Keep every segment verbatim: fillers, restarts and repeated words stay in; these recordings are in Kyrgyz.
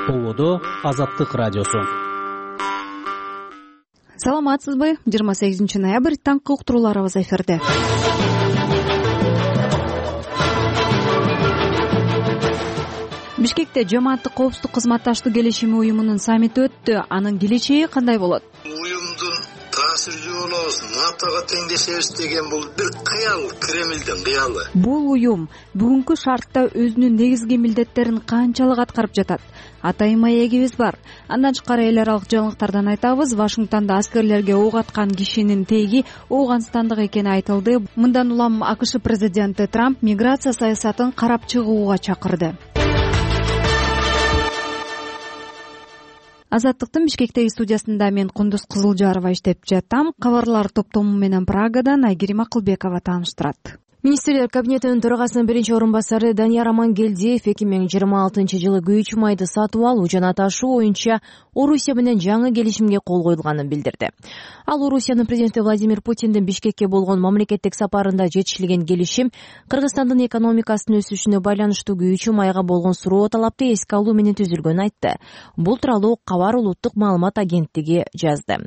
Болодо Азаттык радиосу. Саламатсызбы? жыйырма сегизинчи ноябрь таңкы уктурууларыбыз эфирде. Бишкекте жамааттык коопсуздук кызматташтык келишими уюмунун саммити өттү. Анын келечеги кандай болот? Уюмдун таасирчүү болобуз, натога теңдешебиз деген бул бир кыял, Кремлдин кыялы. Бул уюм бүгүнкү шартта өзүнүн негизги милдеттерин канчалык аткарып жатат? Атайын маегибиз бар. Андан тышкары эл аралык жаңылыктардан айтабыз. Вашингтондо аскерлерге ок аткан кишинин теги Ооганстандык экени айтылды. Мындан улам АКШ президенти Трамп миграция саясатын карап чыгууга чакырды. Азаттыктын Бишкектеги студиясында мен Кундуз Кызылжарова иштеп жатам. Кабарлар топтому менен Прагадан Айгерим Акылбекова тааныштырат. Министрлер кабинетинин төрагасынын биринчи орун басары Данияр Амангелдиев эки миң жыйырма алтынчы жылы күйүүчү майды сатып алуу жана ташуу боюнча Орусия менен жаңы келишимге кол коюлганын билдирди. Ал Орусиянын президенти Владимир Путиндин Бишкекке болгон мамлекеттик сапарында жетишилген келишим Кыргызстандын экономикасынын өсүшүнө байланыштуу күйүүчү майга болгон суроо талапты эске алуу менен түзүлгөнүн айтты. Бул тууралуу Кабар улуттук маалымат агенттиги жазды.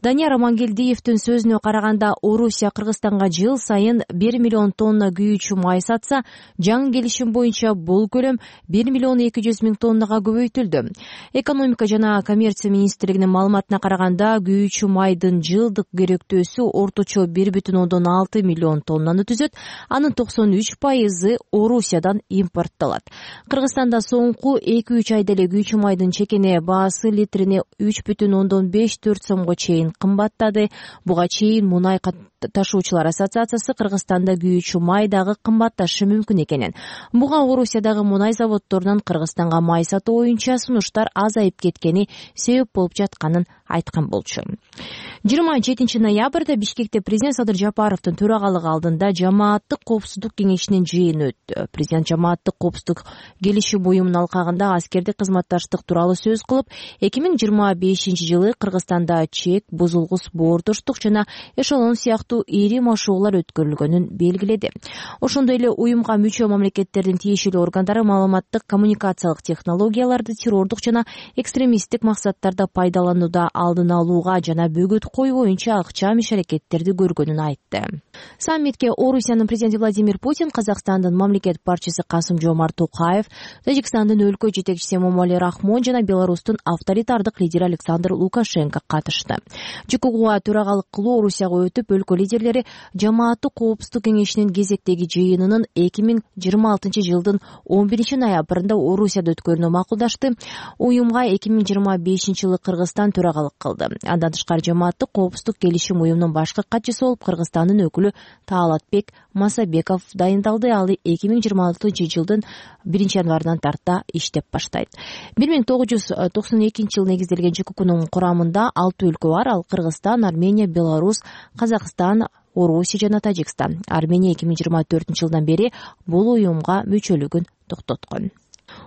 Данияр Амангелдиевдин сөзүнө караганда, Орусия Кыргызстанга жыл сайын бир миллион тонна күйүүчү май сатса, жаңы келишим боюнча бул көлөм бир миллион эки жүз миң тоннага көбөйтүлдү. Экономика жана коммерция министрлигинин маалыматына караганда, күйүүчү майдын жылдык керектөөсү орточо бир бүтүн ондон алты миллион тоннаны түзөт. Анын токсон үч пайызы Орусиядан импорттолот. Кыргызстанда соңку эки үч айда эле күйүүчү майдын чекене баасы литрине үч бүтүн ондон беш төрт сомго чейин кымбаттады. Буга чейин Мунай ташуучулар ассоциациясы Кыргызстанда күйүүчү май дагы кымбатташы мүмкүн экенин, буга Орусиядагы мунай заводдорунан Кыргызстанга май сатуу боюнча сунуштар азайып кеткени себеп болуп жатканын айткан болчу. жыйырма жетинчи ноябрда Бишкекте президент Садыр Жапаровдун төрагалыгы алдында жамааттык коопсуздук кеңешинин жыйыны өттү. Президент жамааттык коопсуздук келишим уюмунун алкагында аскердик кызматташтык тууралуу сөз кылып, эки миң жыйырма бешинчи жылы Кыргызстанда чек, бузулгус, боордоштук жана эшелон сыяктуу ири машыгуулар өткөрүлгөнүн белгиледи. Ошондой эле уюмга мүчө мамлекеттердин тиешелүү органдары маалыматтык коммуникациялык технологияларды террордук жана экстремисттик максаттарда пайдаланууда алдын алууга жана бөгөт коюу боюнча акчам иш-аракеттерди көргөнүн айтты. Саммитке Орусиянын президенти Владимир Путин, Казакстандын мамлекет башчысы Касым-Жомарт Токаев, Тажикстандын өлкө жетекчиси Эмомали Рахмон жана Беларустун авторитардык лидери Александр Лукашенко катышты. ЖКУга төрагалык кылуу Орусияга өтүп, өлкө лидерлери жамааттык коопсуздук кеңешинин кезектеги жыйынынын эки миң жыйырма алтынчы жылдын он биринчи ноябрында Орусияда өткөрүүнү макулдашты. Уюмга эки миң жыйырма бешинчи жылы Кыргызстан төрагалык кылды. Андан тышкары жамааттык коопсуздук келишим уюмунун башкы катчысы болуп Кыргызстандын өкүлү Таалатбек Масабеков дайындалды. Ал эки миң жыйырма алтынчы жылдын биринчи январынан тарта иштеп баштайт. бир миң тогуз жүз токсон экинчи жылы негизделген ЖКУнун курамында алты өлкө бар. Ал Кыргызстан, Армения, Беларусь, Казакстан, Орусия жана Тажикстан. Армения эки миң жыйырма төртүнчү жылдан бери бул уюмга мүчөлүгүн токтоткон.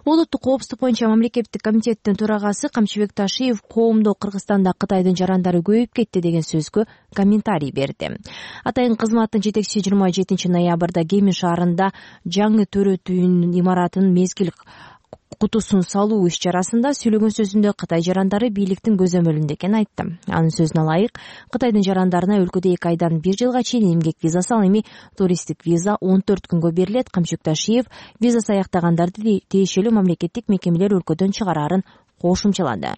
Улуттук коопсуздук боюнча мамлекеттик комитеттин төрагасы Камчыбек Ташиев коомдо Кыргызстанда Кытайдын жарандары көбөйүп кетти деген сөзгө комментарий берди. Атайын кызматтын жетекчиси жыйырма жетинчи ноябрда Кемин шаарында жаңы төрөт үйүнүн имаратынын мезгил кутусун салуу иш-чарасында сүйлөгөн сөзүндө Кытай жарандары бийликтин көзөмөлүндө экенин айтты. Анын сөзүнө ылайык, Кытайдын жарандарына өлкөдө эки айдан бир жылга чейин эмгек визасы, ал эми туристтик виза он төрт күнгө берилет. Камчыбек Ташиев визасы аяктагандарды тиешелүү мамлекеттик мекемелер өлкөдөн чыгарарын кошумчалады.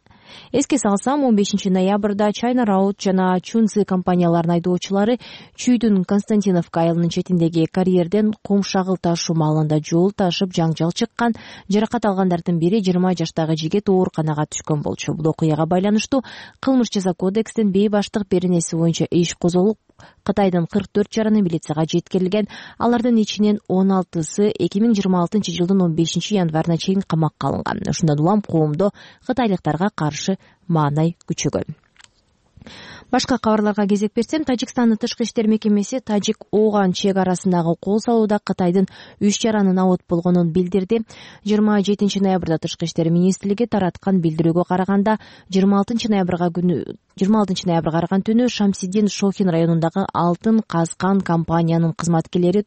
Эске салсам, он бешинчи ноябрда China Road жана Chunzi компанияларынын айдоочулары Чүйдүн Константиновка айылынын четиндеги карьерден кум шагыл ташуу маалында жол ташып жаңжал чыккан. Жаракат алгандардын бири жыйырма жаштагы жигит ооруканага түшкөн болчу. Бул окуяга байланыштуу кылмыш жаза кодекстин бейбаштык беренеси боюнча иш козголуп, Кытайдын кырк төрт жараны милицияга жеткирилген. Алардын ичинен он алтысы эки миң жыйырма алтынчы жылдын он бешинчи январына чейин камакка алынган. Ушундан улам коомдо кытайлыктарга каршы маанай күчөгөн. Башка кабарларга кезек берсем, Тажикстандын тышкы иштер мекемеси Тажик-Ооган чек арасындагы кол салууда Кытайдын үч жаранын абот болгонун билдирди. жыйырма жетинчи ноябрда тышкы иштер министрлиги тараткан билдирүүгө караганда, жыйырма алтынчы ноябрга күнү жыйырма алтынчы ноябрга караган түнү Шамсиддин Шохин районундагы алтын казган компаниянын кызматкерлери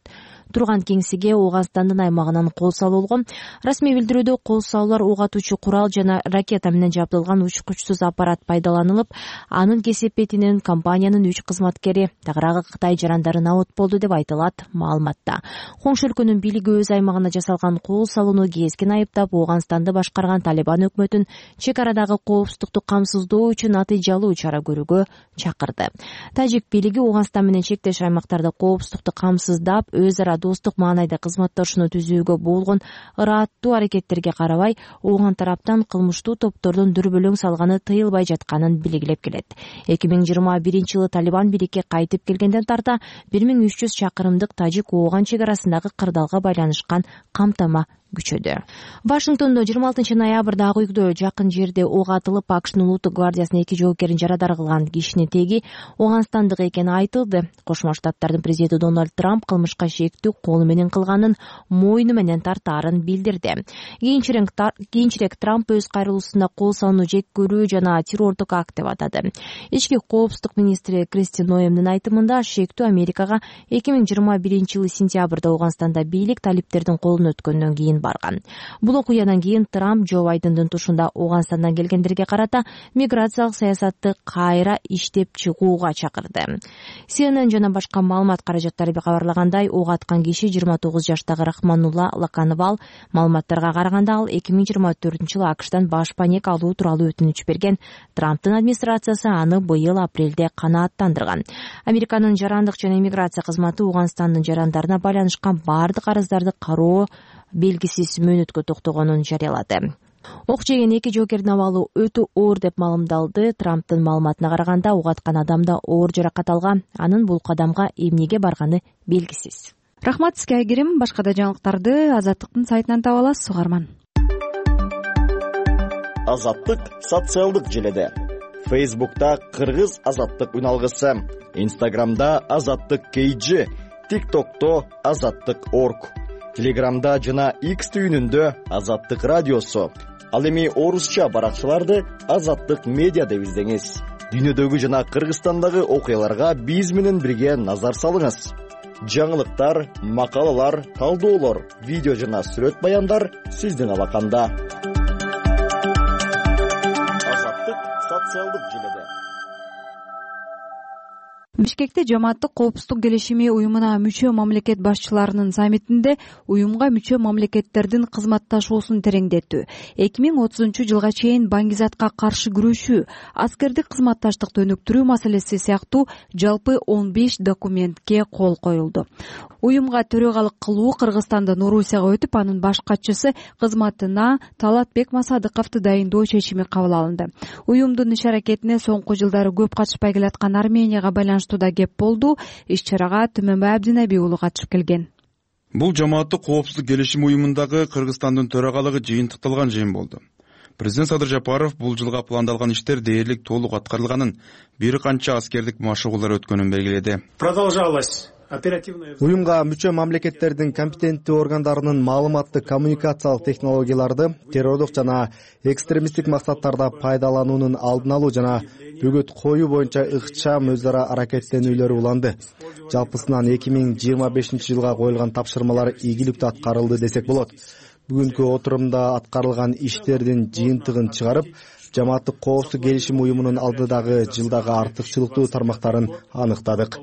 турган кеңсеге Ооганстандын аймагынан кол салуулган. Расмий билдирүүдө кол салуулар ок атуучу курал жана ракета менен жабдылган учкучсуз аппарат пайдаланылып, анын кесепетинен компаниянын үч кызматкери тагыраагы Кытай жарандарын абот болду деп айтылат маалыматта. Коңшу өлкөнүн бийлиги өз аймагына жасалган кол салууну кескен айыптап, Ооганстанды башкарган Талибан өкмөтүн чек арадагы коопсуздукту камсыздоо үчүн натыйжалуу чара көрүүгө чакырды. Тажик бийлиги Ооганстан менен чектеш аймактарда коопсуздукту камсыздап, өз ара достук маанайда кызматташууну түзүүгө болгон ырааттуу аракеттерге карабай, Ооган тараптан кылмыштуу топтордун дүрбөлөң салганы тыйылбай жатканын белгилеп келет. эки миң жыйырма биринчи жылы Талибан бийликке кайтып келгенден тарта бир миң үч жүз чакырымдык Тажик-Ооган чек арасындагы кырдаалга байланышкан камтама күчөдө. Вашингтондо жыйырма алтынчы ноябрда Ак үйдө жакын жерде ок атылып, АКШнын улуттук гвардиясынын эки жоокерин жарадар кылган кишинин теги Ооганстандык экени айтылды. Кошмо Штаттардын президенти Дональд Трамп кылмышка шектүү колу менен кылганын мойну менен тартаарын билдирди. Кийинчерээк Трамп өз кайрылуусунда кол салууну жек көрүү жана террордук акт деп атады. Ички коопсуздук министри Кристи Ноемдин айтымында, шектүү Америкага эки миң жыйырма биринчи жылы сентябрда Ооганстанда бийлик талиптердин колуна өткөндөн кийин барган. Бул окуядан кийин Трамп Джо Байдендин тушунда Ооганстандан келгендерге карата миграциялык саясатты кайра иштеп чыгууга чакырды. Си Эн Эн жана башка маалымат каражаттары кабарлагандай, ок аткан киши жыйырма тогуз жаштагы Рахманулла Лакановал. Маалыматтарга караганда, ал эки миң жыйырма төртүнчү жылы АКШтан баш паек алуу тууралуу өтүнүч берген. Трамптын администрациясы аны быйыл апрелде канааттандырган. Американын жарандык жана иммиграция кызматы Ооганстандын жарандарына байланышкан бардык арыздарды кароо белгисиз мөөнөткө токтогонун жарыялады. Ок жеген эки жоокердин абалы өтө оор деп маалымдалды. Трамптын маалыматына караганда, ок аткан адамда оор жаракат алган. Анын бул кадамга эмнеге барганы белгисиз. Рахмат сизге, Айгерим. Башка да жаңылыктарды Азаттыктын сайтынан таба аласыз, угарман. Азаттык социалдык желеде. Фейсбукта Кыргыз Азаттык үналгысы, Инстаграмда Азаттык кей джи, ТикТокто Азаттык точка орг, Телеграмда жана X түйүнүндө Азаттык радиосу. Ал эми орусча баракчаларды Азаттык медиа деп издеңиз. Дүйнөдөгү жана Кыргызстандагы окуяларга биз менен бирге назар салыңыз. Жаңылыктар, макалалар, талдоолор, видео жана сүрөт баяндар сиздин алаканда. Азаттык социалдык желеде. Бишкекте жамааттык коопсуздук келишими уюмуна мүчө мамлекет башчыларынын саммитинде уюмга мүчө мамлекеттердин кызматташуусун тереңдетүү, эки миң отузунчу жылга чейин баңгизатка каршы күрөшүү, аскердик кызматташтыкты өнүктүрүү маселеси сыяктуу жалпы он беш документке кол коюлду. Уюмга төрөгалык кылуу Кыргызстандын Орусияга өтүп, анын баш катчысы кызматына Талатбек Масадыковду дайындоо чечими кабыл алынды. Уюмдун иш аракетине соңку жылдары көп катышпай келаткан Арменияга байланыштуу да кеп болду. Иш-чарага Түмөнбай Абдинеби уулу катышып келген. Бул жамааттык коопсуздук келишими уюмундагы Кыргызстандын төрагалыгы жыйынтыкталган жыйын болду. Президент Садыр Жапаров бул жылга пландалган иштер дээрлик толук аткарылганын, бир канча аскердик машыгуулар өткөнүн белгиледи. Продолжалось. Уюмга мүчө мамлекеттердин компетенттүү органдарынын маалыматтык коммуникациялык технологияларды террордук жана экстремисттик максаттарда пайдалануунун алдын алуу жана бөгөт коюу боюнча ыкчам өз ара аракеттенүүлөр уланды. Жалпысынан эки миң жыйырма бешинчи жылга коюлган тапшырмалар ийгиликтүү аткарылды десек болот. Бүгүнкү отурумда аткарылган иштердин жыйынтыгын чыгарып, жамааттык коопсуздук келишим уюмунун алдыдагы жылдагы артыкчылыктуу тармактарын аныктадык.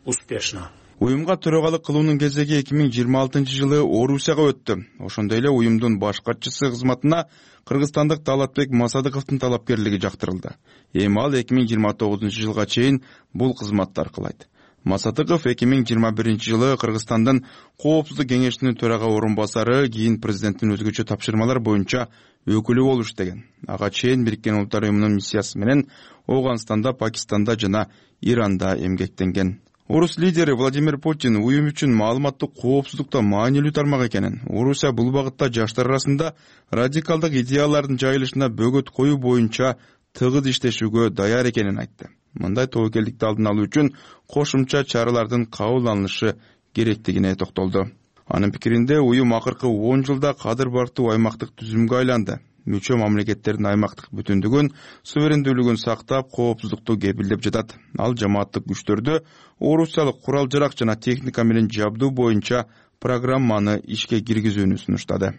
Успешно. Уюмга төрагалык кылуунун кезеги эки миң жыйырма алтынчы жылы Орусияга өттү. Ошондой эле уюмдун баш катчысы кызматына кыргызстандык Талатбек Масадыковдун талапкерлиги жактырылды. Эми ал эки миң жыйырма тогузунчу жылга чейин бул кызматты аркылайт. Масадыков эки миң жыйырма биринчи жылы Кыргызстандын Коопсуздук кеңешинин төрага орун басары, кийин президенттин өзгөчө тапшырмалар боюнча өкүлү болуп иштеген. Ага чейин Бириккен Улуттар уюмунун миссиясы менен Ооганстанда, Пакистанда жана Иранда эмгектенген. Орус лидери Владимир Путин уюм үчүн маалыматтык коопсуздукта маанилүү тармак экенин, Орусия бул багытта жаштар арасында радикалдык идеялардын жайылышына бөгөт коюу боюнча тыгыз иштешүүгө даяр экенин айтты. Мындай тобокелдикти алдын алуу үчүн кошумча чаралардын кабыл алынышы керектигине токтолду. Анын пикиринде уюм акыркы он жылда кадыр бартуу аймактык түзүмгө айланды. мүчө мамлекеттердин аймактык бүтүндүгүн, суверендүүлүгүн сактап, коопсуздукту кепилдеп жатат. Ал жамааттык күчтөрдү орусиялык курал жарак жана техника менен жабдуу боюнча программаны ишке киргизүүнү сунуштады.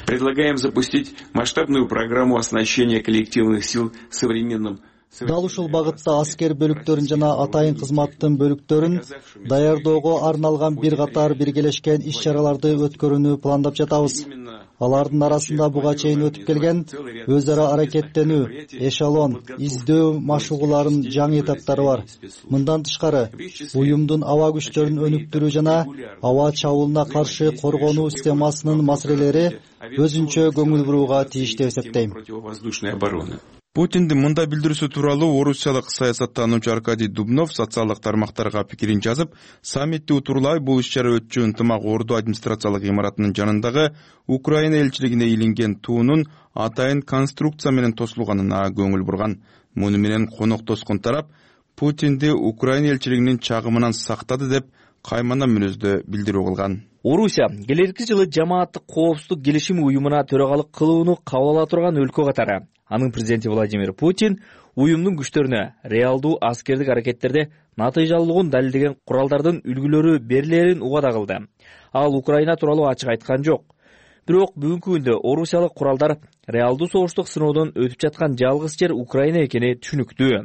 Предлагаем запустить масштабную программу оснащения коллективных сил современным. Дал ушул багытта аскер бөлүктөрүн жана атайын кызматтын бөлүктөрүн даярдоого арналган бир катар биргелешкен иш-чараларды өткөрүүнү пландап жатабыз. Алардын арасында буга чейин өтүп келген өз ара аракеттенүү, эшелон, издөө машыгууларынын жаңы этаптары бар. Мындан тышкары, уюмдун аба күчтөрүн өнүктүрүү жана аба чабуулуна каршы коргонуу системасынын маселелери өзүнчө көңүл бурууга тийиштүү деп эсептейм. Путиндин мындай билдирүүсү тууралуу орусиялык саясаттануучу Аркадий Дубнов социалдык тармактарга пикирин жазып, саммитти утурлай бул иш-чара өтчү ынтымак орду администрациялык имаратынын жанындагы Украина элчилигине илинген туунун атайын конструкция менен тосулганына көңүл бурган. Муну менен конок тоскон тарап Путинди Украина элчилигинин чагымынан сактады деп каймана мүнөздө билдирүү кылган. Орусия келерки жылы жамааттык коопсуздук келишими уюмуна төрагалык кылууну кабыл ала турган өлкө катары. Анын президенти Владимир Путин уюмдун күчтөрүнө реалдуу аскердик аракеттерде натыйжалуулугун далилдеген куралдардын үлгүлөрү берилерин убада кылды. Ал Украина тууралуу ачык айткан жок. Бирок бүгүнкү күндө орусиялык куралдар реалдуу согуштук сыноодон өтүп жаткан жалгыз жер Украина экени түшүнүктүү.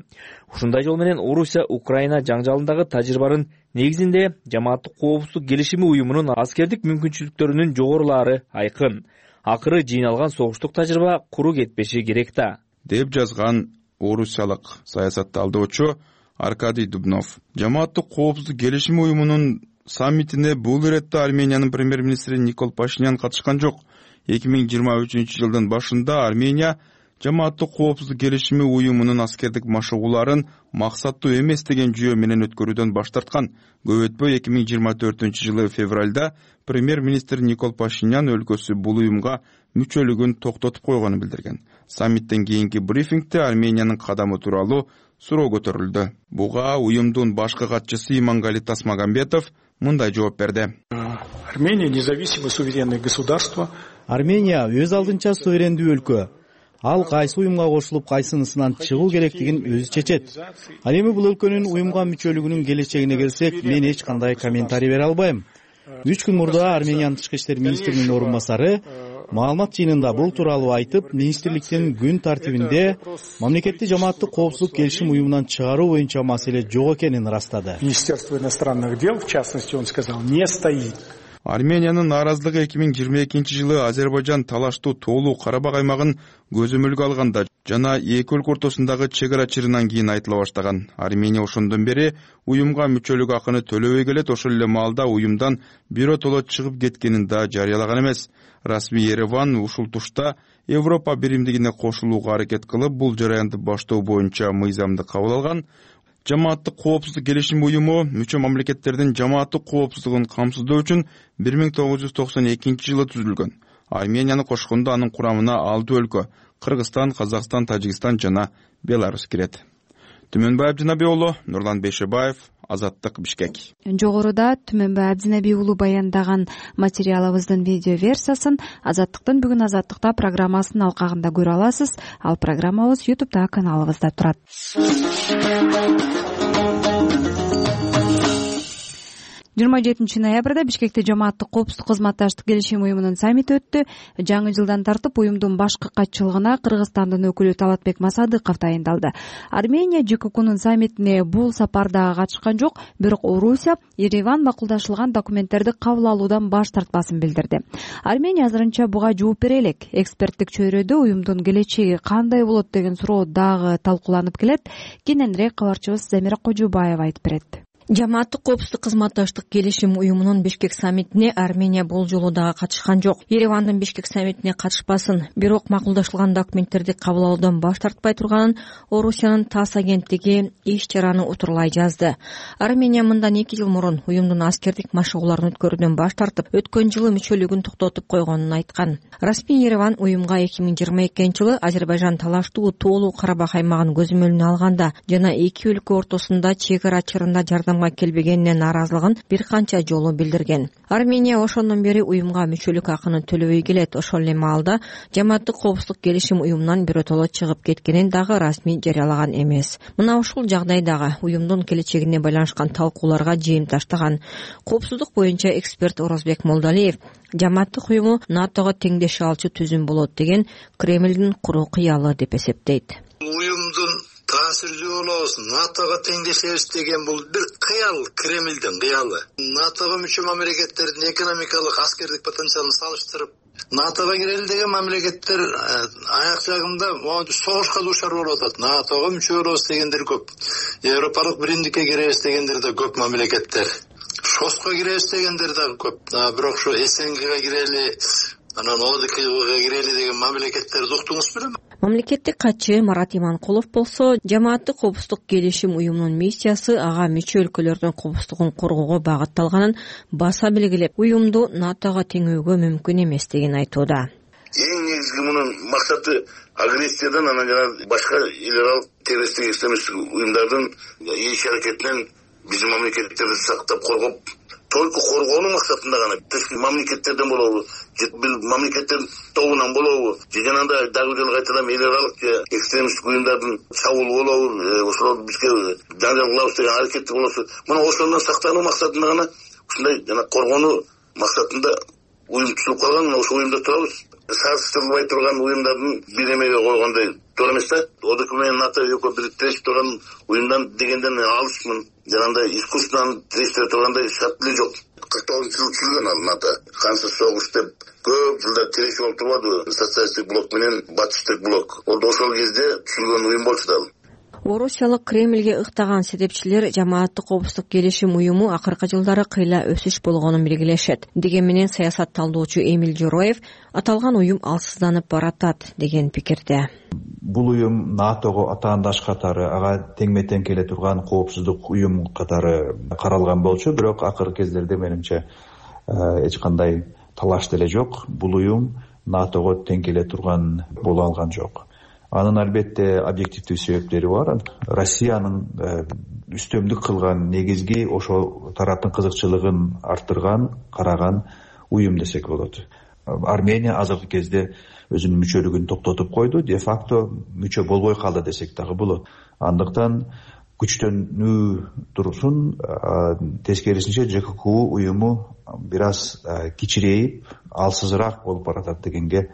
Ушундай жол менен Орусия Украина жаңжалындагы тажрыйбанын негизинде жамааттык коопсуздук келишими уюмунун аскердик мүмкүнчүлүктөрүнүн жогорулаары айкын. Акыры жыйналган согуштук тажрыйба куру кетпеши керек да, деп жазган орусиялык саясатталдоочу Аркадий Дубнов. Жамааттык коопсуздук келишими уюмунун саммитине бул иретте Армениянын премьер-министри Никол Пашинян катышкан жок. эки миң жыйырма үчүнчү жылдын башында Армения жамааттык коопсуздук келишими уюмунун аскердик машыгууларын максаттуу эмес деген жүйө менен өткөрүүдөн баш тарткан. Көп өтпөй эки миң жыйырма төртүнчү жылы февралда премьер-министр Никол Пашинян өлкөсү бул уюмга мүчөлүгүн токтотуп койгонун билдирген. Саммиттен кийинки брифингде Армениянын кадамы тууралуу суроо көтөрүлдү. Буга уюмдун башкы катчысы Имангали Тасмагамбетов мындай жооп берди. Армения независимое суверенное государство. Армения өз алдынча суверендүү өлкө. Ал кайсы уюмга кошулуп, кайсынысынан чыгуу керектигин өзү чечет. Ал эми бул өлкөнүн уюмга мүчөлүгүнүн келечегине келсек, мен эч кандай комментарий бере албайм. Үч күн мурда Армениянын тышкы иштер министринин орун басары маалымат жыйынында бул тууралуу айтып, министрликтин күн тартибинде мамлекетти жамааттык коопсуздук келишим уюмунан чыгаруу боюнча маселе жок экенин ырастады. Министерство иностранных дел, в частности, он сказал, не стоит. Армениянын нааразылыгы эки миң жыйырма экинчи жылы Азербайжан талаштуу тоолуу Карабак аймагын көзөмөлгө алганда жана эки өлкө ортосундагы чек ара чырынан кийин айтыла баштаган. Армения ошондон бери уюмга мүчөлүк акыны төлөбөй келет, ошол эле маалда уюмдан биротоло чыгып кеткенин да жарыялаган эмес. Расмий Ереван ушул тушта Европа биримдигине кошулууга аракет кылып, бул жараянды баштоо боюнча мыйзамды кабыл алган. Жамааттык коопсуздук келишим уюму мүчө мамлекеттердин жамааттык коопсуздугун камсыздоо үчүн бир миң тогуз жүз токсон экинчи жылы түзүлгөн. Арменияны кошкондо анын курамына алты өлкө — Кыргызстан, Казакстан, Тажикстан жана Беларусь кирет. Түмөнбай Абдинаби уулу, Нурлан Бейшебаев, Азаттык, Бишкек. Жогоруда Түмөнбай Абдинаби уулу баяндаган материалыбыздын видео версиясын Азаттыктын бүгүн Азаттыкта программасынын алкагында көрө аласыз. Ал программабыз YouTube'да каналыбызда турат. жыйырма жетинчи ноябрда Бишкекте жамааттык коопсуздук кызматташтык келишим уюмунун саммити өттү. Жаңы жылдан тартып уюмдун башкы катчылыгына Кыргызстандын өкүлү Талатбек Масадыков дайындалды. Армения ЖККнун саммитине бул сапарда катышкан жок, бирок Орусия Ереван макулдашылган документтерди кабыл алуудан баш тартпасын билдирди. Армения азырынча буга жооп бере элек. Эксперттик чөйрөдө уюмдун келечеги кандай болот деген суроо дагы талкууланып келет. Кененирээк кабарчыбыз Замира Кожубаева айтып берет. Жамааттык коопсуздук кызматташтык келишим уюмунун Бишкек саммитине Армения бул жолу дагы катышкан жок. Еревандын Бишкек саммитине катышпасын, бирок макулдашылган документтерди кабыл алуудан баш тартпай турганын Орусиянын ТАСС агенттиги иш-чараны утурлай жазды. Армения мындан эки жыл мурун уюмдун аскердик машыгууларын өткөрүүдөн баш тартып, өткөн жылы мүчөлүгүн токтотуп койгонун айткан. Расмий Ереван уюмга эки миң жыйырма экинчи жылы Азербайжан талаштуу тоолуу Карабак аймагын көзөмөлүнө алганда жана эки өлкө ортосунда чек ара чырында жардам уюмга келбегенине нааразылыгын бир канча жолу билдирген. Армения ошондон бери уюмга мүчөлүк акыны төлөбөй келет. Ошол эле маалда жамааттык коопсуздук келишим уюмунан биротоло чыгып кеткенин дагы расмий жарыялаган эмес. Мына ушул жагдайдагы уюмдун келечегине байланышкан талкууларга жем таштаган коопсуздук боюнча эксперт Орозбек Молдалиев жамааттык уюму натого теңдеше алчу түзүм болот деген Кремлдин куру кыялы деп эсептейт. Уюмдун таасирдүү болобуз, натого теңдешебиз деген бул бир кыял, Кремлдин кыялы. натого мүчө мамлекеттердин экономикалык, аскердик потенциалын салыштырып, натого кирели деген мамлекеттер аяк жагында согушка дуушар болуп атат. натого мүчө болобуз дегендер көп. Европалык биримдикке киребиз дегендер да көп мамлекеттер. Шоско киребиз дегендер дагы көп. Бирок ушу СНГга кирели, анан ОДКБга кирели деген мамлекеттерди уктуңуз белем? Мамлекеттик катчы Марат Иманкулов болсо, жамааттык коопсуздук келишим уюмунун миссиясы ага мүчө өлкөлөрдүн коопсуздугун коргоого багытталганын баса белгилеп, уюмду натого теңөөгө мүмкүн эмес деген айтууда. Эң негизги мунун максаты агрессиядан, анан жана башка эл аралык террористтик экстремисттик уюмдардын иш аракетинен биздин мамлекеттерди сактап коргоп, только коргоонун максатында гана тышкы мамлекеттерден болобу, же бир мамлекеттердин тобунан болобу, же жанагындай дагы жолу кайталам эл аралык экстремисттик уюмдардын чабуул болобу, ошол бизге жаңжал кылабыз деген аракети болосу, мына ошондон сактануу максатында гана ушундай жана коргонуу максатында уюм түзүлүп калган. Мына ошол уюмда турабыз. Салыштырылбай турган уюмдардын бир эмеге койгондой туура эмес да. ОДК менен НАТО экөө бириктешип турган уюмдан дегенден алысмын. Жанагындай искусственно тирештире тургандай шарт эле жок. кырк тогузунчу жылы түзүлгөн ал НАТО. Кансыз согуш деп көп жылдар тирешип болуп турбадыбы? Социалисттик блок менен батыштык блок. Ол да ошол кезде түзүлгөн уюм болчу да. Орусиялык Кремлге ыктаган сетепчилер жамааттык коопсуздук келишим уюму акыркы жылдары кыйла өсүш болгонун белгилешет. Деген менен саясат талдоочу Эмил Жороев аталган уюм алсызданып баратат деген пикирде. Бул уюм натого атаандаш катары, ага теңме-тең келе турган коопсуздук уюм катары каралган болчу, бирок акыркы кездерде менимче эч кандай талаш деле жок. Бул уюм натого тең келе турган боло алган жок. Анын албетте объективдүү себептери бар. Россиянын үстөмдүк кылган негизги ошол тараптын кызыкчылыгын арттырган, караган уюм десек болот. Армения азыркы кезде өзүнүн мүчөлүгүн токтотуп койду, де факто мүчө болбой калды десек дагы болот. Андыктан күчтөнүү турсун, тескерисинче ЖККУ уюму бир аз кичирейип, алсызыраак болуп баратат дегенге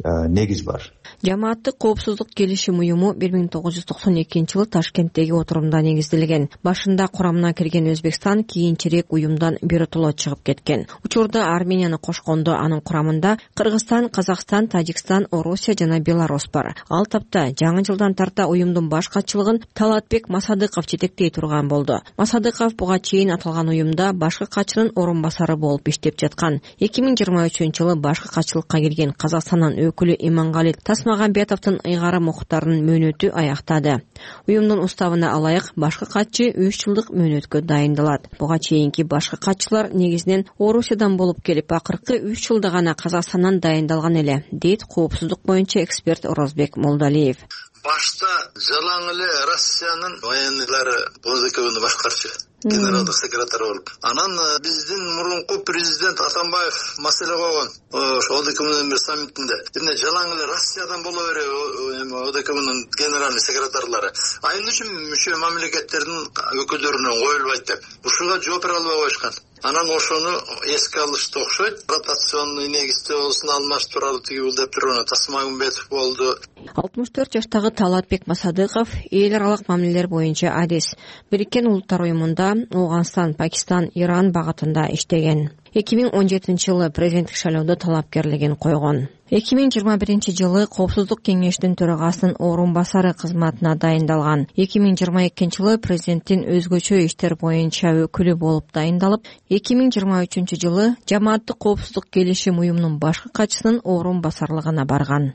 негиз бар. Жамааттык коопсуздук келишим уюму бир миң тогуз жүз токсон экинчи жылы Ташкенттеги отурумда негизделген. Башында курамына кирген Өзбекстан кийинчерээк уюмдан биротоло чыгып кеткен. Учурда Арменияны кошкондо анын курамында Кыргызстан, Казакстан, Тажикстан, Орусия жана Беларусь бар. Ал тапта жаңы жылдан тарта уюмдун баш катчылыгын Талатбек Масадыков жетектей турган болду. Масадыков буга чейин аталган уюмда башкы катчынын орун басары болуп иштеп жаткан. эки миң жыйырма үчүнчү жылы башкы катчылыкка келген Казакстандан өкүлү Имангали Тасмагамбетовдун ыйгары муктарынын мөөнөтү аяктады. Уюмдун уставына алайык башкы катчы үч жылдык мөөнөткө дайындалат. Буга чейинки башкы катчылар негизинен Орусиядан болуп келип, акыркы үч жылда гана Казакстандан дайындалган эле, дейт коопсуздук боюнча эксперт Орозбек Молдалиев. Башта жалаң эле Россиянын военныйлары ОДКБны башкарчу. Генералдык секретарь болуп. Анан биздин мурунку президент Атамбаев маселе койгон. Ошо ОДКБнын бир саммитинде. Эмне жалаң эле Россиядан боло береби ОДКБнын генеральный секретарлары. Айыл үчүн мүчө мамлекеттердин өкүлдөрүнөн коюлбайт деп. Ушуга жооп бере албай коюшкан. Анан ошону эске алышты окшойт. Ротационный негизде болсун алмаштыралы тиги бул деп турган Тасмагамбетов болду. алтымыш төрт жаштагы Талатбек Масадыков эл аралык мамилелер боюнча адис. Бириккен Улуттар уюмунда Ауганстан, Пакистан, Иран багытында иштеген. эки миң он жетинчи жылы президенттик шайлоодо талапкерлигин койгон. эки миң жыйырма биринчи жылы Коопсуздук кеңештин төрагасынын орун басары кызматына дайындалган. эки миң жыйырма экинчи жылы президенттин өзгөчө иштер боюнча өкүлү болуп дайындалып, эки миң жыйырма үчүнчү жылы жамааттык коопсуздук келишим уюмунун башкы катчысынын орун басарлыгына барган.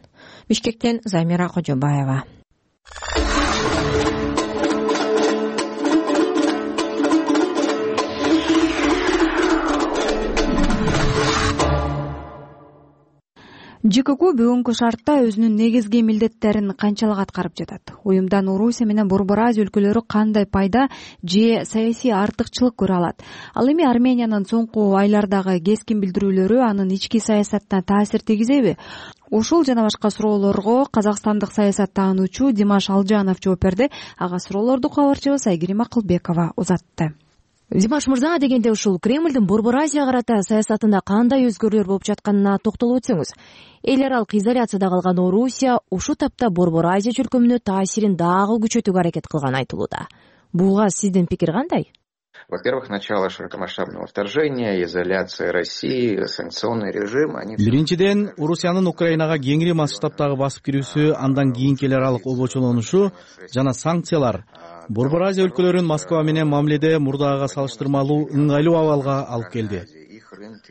Бишкектен Замира Кожобаева. ЖКК бүгүнкү шартта өзүнүн негизги милдеттерин канчалык аткарып жатат? Уюмдан Орусия менен Борбор Азия өлкөлөрү кандай пайда же саясий артыкчылык көрө алат? Ал эми Армениянын соңку айлардагы кескин билдирүүлөрү анын ички саясатына таасир тийгизеби? Ушул жана башка суроолорго казакстандык саясат таануучу Димаш Алжанов жооп берди. Ага суроолорду кабарчыбыз Айгерим Акылбекова узатты. Димаш мырза, дегенде ушул Кремлдин Борбор Азия карата саясатында кандай өзгөрүүлөр болуп жатканына токтолуп өтсөңүз. Эл аралык изоляцияда калган Орусия ушул тапта Борбор Азия чөлкөмүнө таасирин дагы күчөтүүгө аракет кылганы айтылууда. Буга сиздин пикир кандай? Во-первых, начало широкомасштабного вторжения, изоляция России, санкционный режим. Биринчиден, Орусиянын Украинага кеңири масштабтагы басып кирүүсү, андан кийинки эл аралык обочолонушу жана санкциялар Борбор Азия өлкөлөрүн Москва менен мамиледе мурдагыга салыштырмалуу ыңгайлуу абалга алып келди.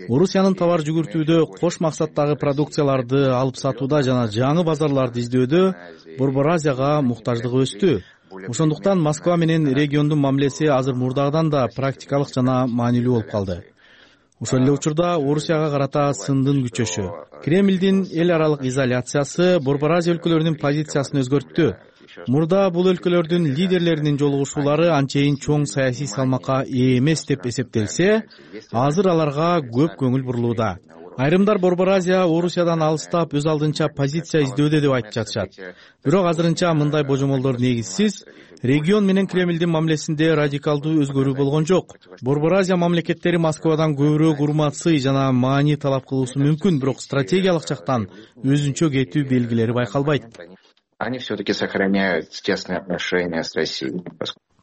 Орусиянын товар жүгүртүүдө, кош максаттагы продукцияларды алып сатууда жана жаңы базарларды издөөдө Борбор Азияга муктаждыгы өстү. Ошондуктан Москва менен региондун мамилеси азыр мурдагыдан да практикалык жана маанилүү болуп калды. Ошол эле учурда Орусияга карата сындын күчөшү, Кремлдин эл аралык изоляциясы Борбор Азия өлкөлөрүнүн позициясын өзгөрттү. Мурда бул өлкөлөрдүн лидерлеринин жолугушуулары анчейин чоң саясий салмакка ээ эмес деп эсептелсе, азыр аларга көп көңүл бурулууда. Айрымдар Борбор Азия Орусиядан алыстап, өз алдынча позиция издөөдө деп айтып жатышат. Бирок азырынча мындай божомолдор негизсиз. Регион менен Кремлдин мамилесинде радикалдуу өзгөрүү болгон жок. Борбор Азия мамлекеттери Москвадан көбүрөөк урмат-сый жана маани талап кылуусу мүмкүн, бирок стратегиялык жактан өзүнчө кетүү белгилери байкалбайт. Они все-таки сохраняют тесные отношения с Россией.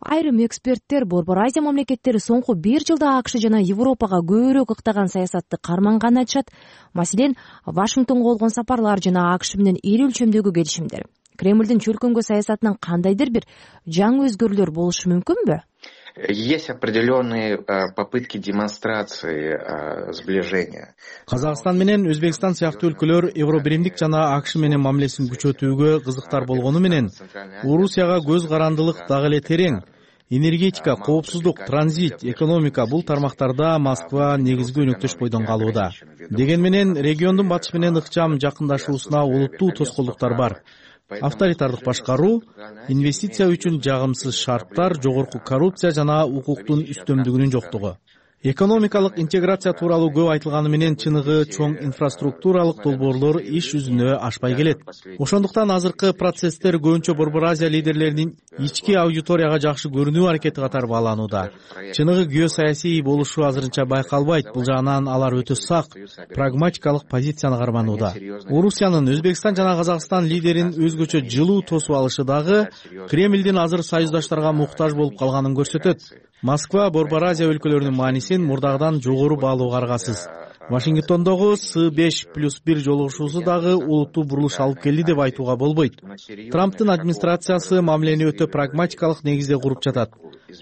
Айрым эксперттер Борбор Азия мамлекеттери соңку бир жылда АКШ жана Европага көбүрөөк ыктаган саясатты карманганын айтышат. Маселен, Вашингтонго болгон сапарлар жана АКШ менен ири өлчөмдөгү келишимдер. Кремлдин чөлкөмгө саясатынан кандайдыр бир жаңы өзгөрүүлөр болушу мүмкүнбү? Есть определенные попытки демонстрации сближения. Казакстан менен Өзбекстан сыяктуу өлкөлөр Евробиримдик жана АКШ менен мамилесин күчөтүүгө кызыктар болгону менен Орусияга көз карандылык дагы эле терең. Энергетика, коопсуздук, транзит, экономика — бул тармактарда Москва негизги өнөктөш бойдон калууда. Деген менен региондун батыш менен ыкчам жакындашуусуна олуттуу тоскоолдуктар бар. Авторитардык башкаруу, инвестиция үчүн жагымсыз шарттар, жогорку коррупция жана укуктун үстөмдүгүнүн жоктугу. Экономикалык интеграция тууралуу көп айтылганы менен чыныгы чоң инфраструктуралык долбоорлор иш жүзүнө ашпай келет. Ошондуктан азыркы процесстер көбүнчө Борбор Азия лидерлеринин ички аудиторияга жакшы көрүнүү аракети катары бааланууда. Чыныгы геосаясий болушу азырынча байкалбайт. Бул жагынан алар өтө сак, прагматикалык позицияны карманууда. Орусиянын Өзбекстан жана Казакстан лидерин өзгөчө жылуу тосуп алышы дагы Кремлдин азыр союздаштарга муктаж болуп калганын көрсөтөт. Москва Борбор Азия өлкөлөрүнүн маанисин мурдагыдан жогору баалоого аргасыз. Вашингтондогу С беш плюс бир жолугушуусу дагы олуттуу бурулуш алып келди деп айтууга болбойт. Трамптын администрациясы мамилени өтө прагматикалык негизде куруп жатат.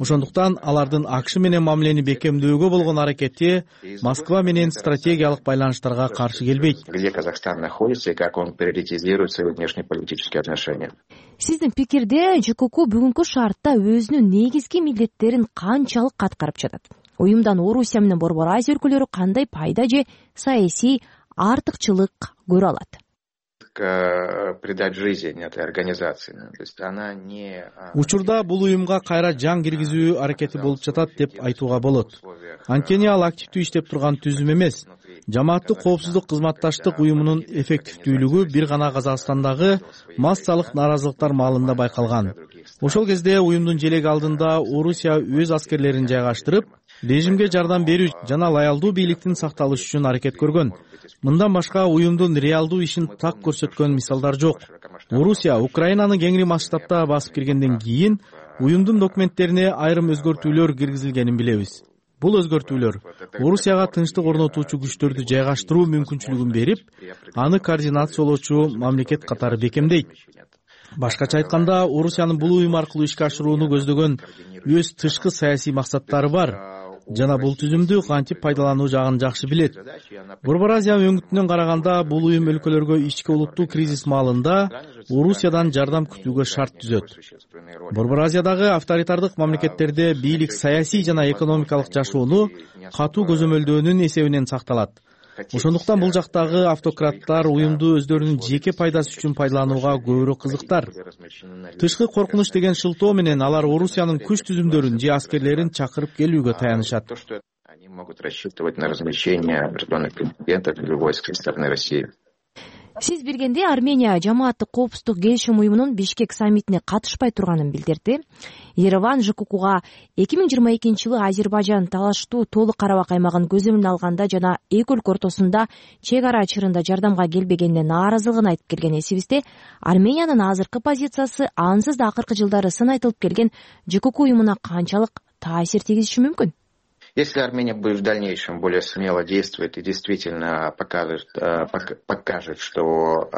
Ошондуктан алардын АКШ менен мамилени бекемдөөгө болгон аракети Москва менен стратегиялык байланыштарга каршы келбейт. Где Казахстан находится и как он приоритизирует свои внешнеполитические отношения. Сиздин пикирде ЖКК бүгүнкү шартта өзүнүн негизги милдеттерин канчалык аткарып жатат? Уюмдан Орусия менен Борбор Азия өлкөлөрү кандай пайда же саясий артыкчылык көрө алат? Придать жизнь этой организации. То есть она не... Учурда бул уюмга кайра жан киргизүү аракети болуп жатат деп айтууга болот. Анткени ал активдүү иштеп турган түзүм эмес. Жамааттык коопсуздук кызматташтык уюмунун эффективдүүлүгү бир гана Казакстандагы массалык нааразылыктар маалында байкалган. Ошол кезде уюмдун желеги алдында Орусия өз аскерлерин жайгаштырып, режимге жардам берүү жана лоялдуу бийликтин сакталышы үчүн аракет көргөн. Мындан башка уюмдун реалдуу ишин так көрсөткөн мисалдар жок. Орусия Украинаны кеңири масштабта басып киргенден кийин уюмдун документтерине айрым өзгөртүүлөр киргизилгенин билебиз. Бул өзгөртүүлөр Орусияга тынчтык орнотуучу күчтөрдү жайгаштыруу мүмкүнчүлүгүн берип, аны координациялоочу мамлекет катары бекемдейт. Башкача айтканда, Орусиянын бул уюм аркылуу ишке ашырууну көздөгөн өз тышкы саясий максаттары бар жана бул түзүмдү кантип пайдалануу жагын жакшы билет. Борбор Азия өңүтүнөн караганда, бул уюм өлкөлөргө ички улуттуу кризис маалында Орусиядан жардам күтүүгө шарт түзөт. Борбор Азиядагы авторитардык мамлекеттерде бийлик саясий жана экономикалык жашоону катуу көзөмөлдөөнүн эсебинен сакталат. Ошондуктан бул жактагы автократтар уюмду өздөрүнүн жеке пайдасы үчүн пайдаланууга көбүрөөк кызыктар. Тышкы коркунуч деген шылтоо менен алар Орусиянын күч түзүмдөрүн же аскерлерин чакырып келүүгө таянышат. Они могут рассчитывать на размещение определенных контингентов или войск со стороны России. Сиз билгендей, Армения жамааттык коопсуздук келишим уюмунун Бишкек саммитине катышпай турганын билдирди. Ереван ЖККга эки миң жыйырма экинчи жылы Азербайжан талаштуу толук Карабак аймагын көзөмөлгө алганда жана эки өлкө ортосунда чек ара чырында жардамга келбегенине нааразылыгын айтып келген эсибизде, Армениянын азыркы позициясы ансыз да акыркы жылдары сын айтылып келген ЖКК уюмуна канчалык таасир тийгизиши мүмкүн? Если Армения будет в дальнейшем более смело действовать и действительно покажет, покажет, что...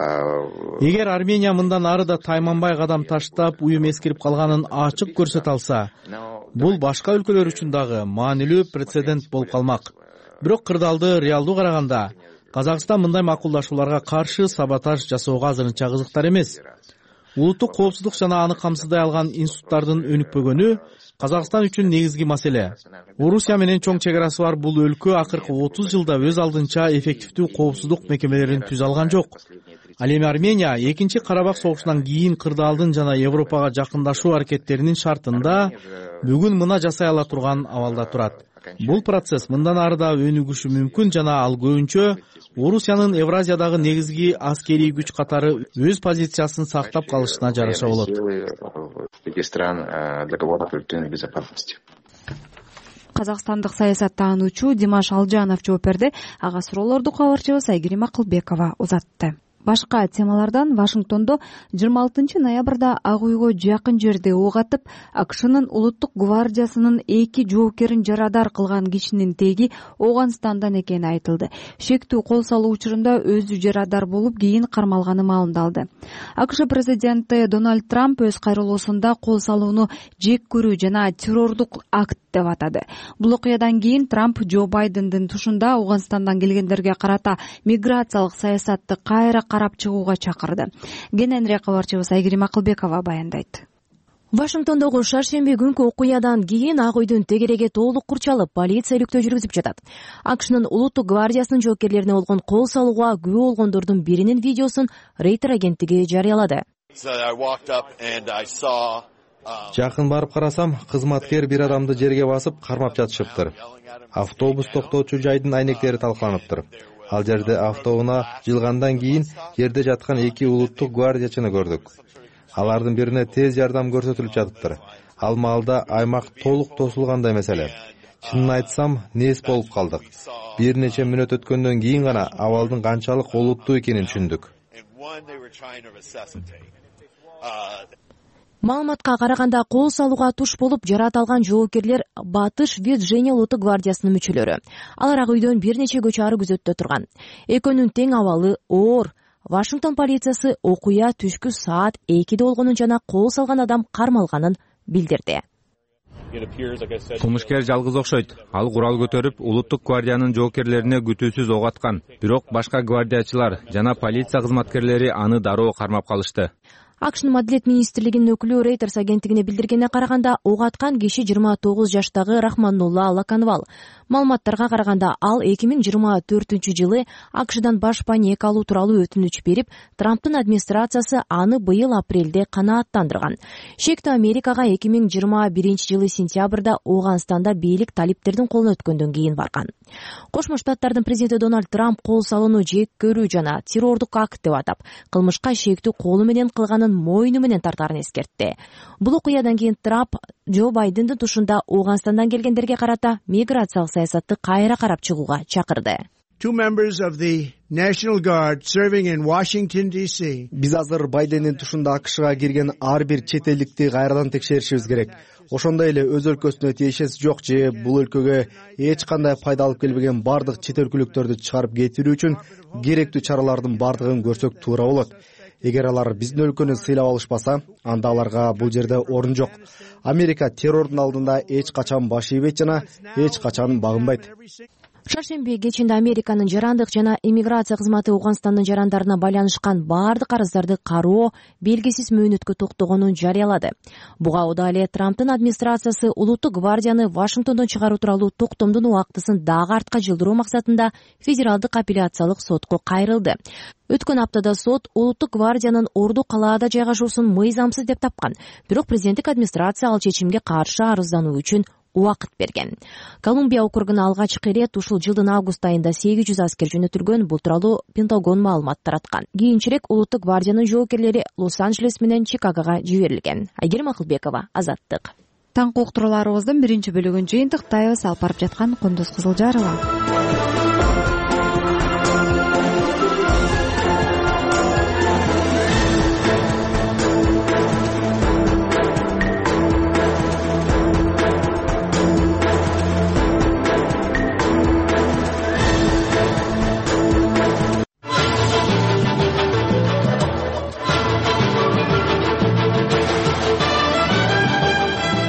Эгер Армения мындан ары да тайманбай кадам таштап, уюм эскирип калганын ачык көрсөтө алса, бул башка өлкөлөр үчүн дагы маанилүү прецедент болуп калмак. Бирок кырдаалды реалдуу караганда, Казакстан мындай макулдашууларга каршы саботаж жасоого азырынча кызыктар эмес. Улуттук коопсуздук жана аны камсыздай алган институттардын өнүкпөгөнү Казакстан үчүн негизги маселе. Орусия менен чоң чек арасы бар бул өлкө акыркы отуз жылда өз алдынча эффективдүү коопсуздук мекемелерин түзө алган жок. Ал эми Армения экинчи Карабак согушунан кийин кырдаалдын жана Европага жакындашуу аракеттеринин шартында бүгүн мына жасай ала турган абалда турат. Бул процесс мындан ары да өнүгүшү мүмкүн жана ал көбүнчө Орусиянын Евразиядагы негизги аскерий күч катары өз позициясын сактап калышына жараша болот. Казакстандык саясаттануучу Димаш Алжанов жооп берди. Ага суроолорду кабарчыбыз Айгерим Акылбекова узатты. Башка темалардан Вашингтондо жыйырма алтынчы ноябрда Ак үйгө жакын жерде ок атып, АКШнын улуттук гвардиясынын эки жоокерин жарадар кылган кишинин теги Ооганстандан экени айтылды. Шектүү кол салуу учурунда өзү жарадар болуп, кийин кармалганы маалымдалды. АКШ президенти Дональд Трамп өз кайрылуусунда кол салууну жек көрүү жана террордук акт деп атады. Бул окуядан кийин Трамп Джо Байдендин тушунда Ооганстандан келгендерге карата миграциялык саясатты кайра карап чыгууга чакырды. Кененирээк кабарчыбыз Айгерим Акылбекова баяндайт. Вашингтондогу шаршемби күнкү окуядан кийин Ак үйдүн тегереги толук курчалып, полиция иликтөө жүргүзүп жатат. АКШнын улуттук гвардиясынын жоокерлерине болгон кол салууга күбө болгондордун биринин видеосун Рейтер агенттиги жарыялады. Жакын барып карасам, кызматкер бир адамды жерге басып кармап жатышыптыр. Автобус токтоочу жайдын айнектери талкаланыптыр. Ал жерде автоунаа жылгандан кийин жерде жаткан эки улуттук гвардиячыны көрдүк. Алардын бирине тез жардам көрсөтүлүп жатыптыр. Ал маалда аймак толук тосулгандай маселе. Чынын айтсам, нес болуп калдык. Бир нече мүнөт өткөндөн кийин гана абалдын канчалык олуттуу экенин түшүндүк. Маалыматка караганда, кол салууга туш болуп жарат алган жоокерлер Батыш Вирджиния улуттук гвардиясынын мүчөлөрү. Алар Ак үйдөн бир нече көчө ары күзөттө турган. Экөөнүн тең абалы оор. Вашингтон полициясы окуя түшкү саат экиде болгонун жана кол салган адам кармалганын билдирди. Кылмышкер жалгыз окшойт. Ал курал көтөрүп, улуттук гвардиянын жоокерлерине күтүүсүз ок аткан. Бирок башка гвардиячылар жана полиция кызматкерлери аны дароо кармап калышты. АКШнын Маделет министрлигинин өкүлү Рейтерс агенттигине билдиргенине караганда, ок аткан киши жыйырма тогуз жаштагы Рахманнулла Лаканвал. Маалыматтарга караганда, ал эки миң жыйырма төртүнчү жылы АКШдан баш паек алуу тууралуу өтүнүч берип, Трамптын администрациясы аны быйыл апрелде канааттандырган. Шектүү Америкага эки миң жыйырма биринчи жылы сентябрда Ооганстанда бийлик талиптердин колуна өткөндөн кийин барган. Кошмо Штаттардын президенти Дональд Трамп кол салууну жек көрүү жана террордук акт деп атап, кылмышка шектүү колу менен кылганын мойну менен тартаарын эскертти. Бул окуядан кийин Трамп Джо Байдендин тушунда Ооганстандан келгендерге карата миграциялык саясатты кайра карап чыгууга чакырды. Two members of the National Guard serving in Washington D C. Биз азыр Байдендин тушунда АКШга кирген ар бир чет элдикти кайрадан текшеришибиз керек. Ошондой эле өз өлкөсүнө тиешеси жок же бул өлкөгө эч кандай пайда алып келбеген бардык чет өлкөлүктөрдү чыгарып кетирүү үчүн керектүү чаралардын бардыгын көрсөк туура болот. Эгер алар биздин өлкөнү сыйлап алышпаса, анда аларга бул жерде орун жок. Америка террордун алдында эч качан баш ийбейт жана эч качан багынбайт. шаршемби кечинде Американын жарандык жана иммиграция кызматы Ооганстандын жарандарына байланышкан баардык арыздарды кароо белгисиз мөөнөткө токтогонун жарыялады. Буга ода эле Трамптын администрациясы улуттук гвардияны Вашингтондон чыгаруу тууралуу токтомдун убактысын дагы артка жылдыруу максатында федералдык апелляциялык сотко кайрылды. Өткөн аптада сот улуттук гвардиянын Орду калаада жайгашуусун мыйзамсыз деп тапкан, бирок президенттик администрация ал чечимге каршы арыздануу үчүн убакыт берген. Колумбия округуна алгачкы ирет ушул жылдын август айында сегиз жүз аскер жөнөтүлгөн. Бул тууралуу Пентагон маалымат тараткан. Кийинчерээк улуттук гвардиянын жоокерлери Лос-Анджелес менен Чикагого жиберилген. Айгерим Акылбекова, Азаттык. Таңкы уктурууларыбыздын биринчи бөлүгүн жыйынтыктайбыз. Алып барып жаткан Кундуз Кызылжарова.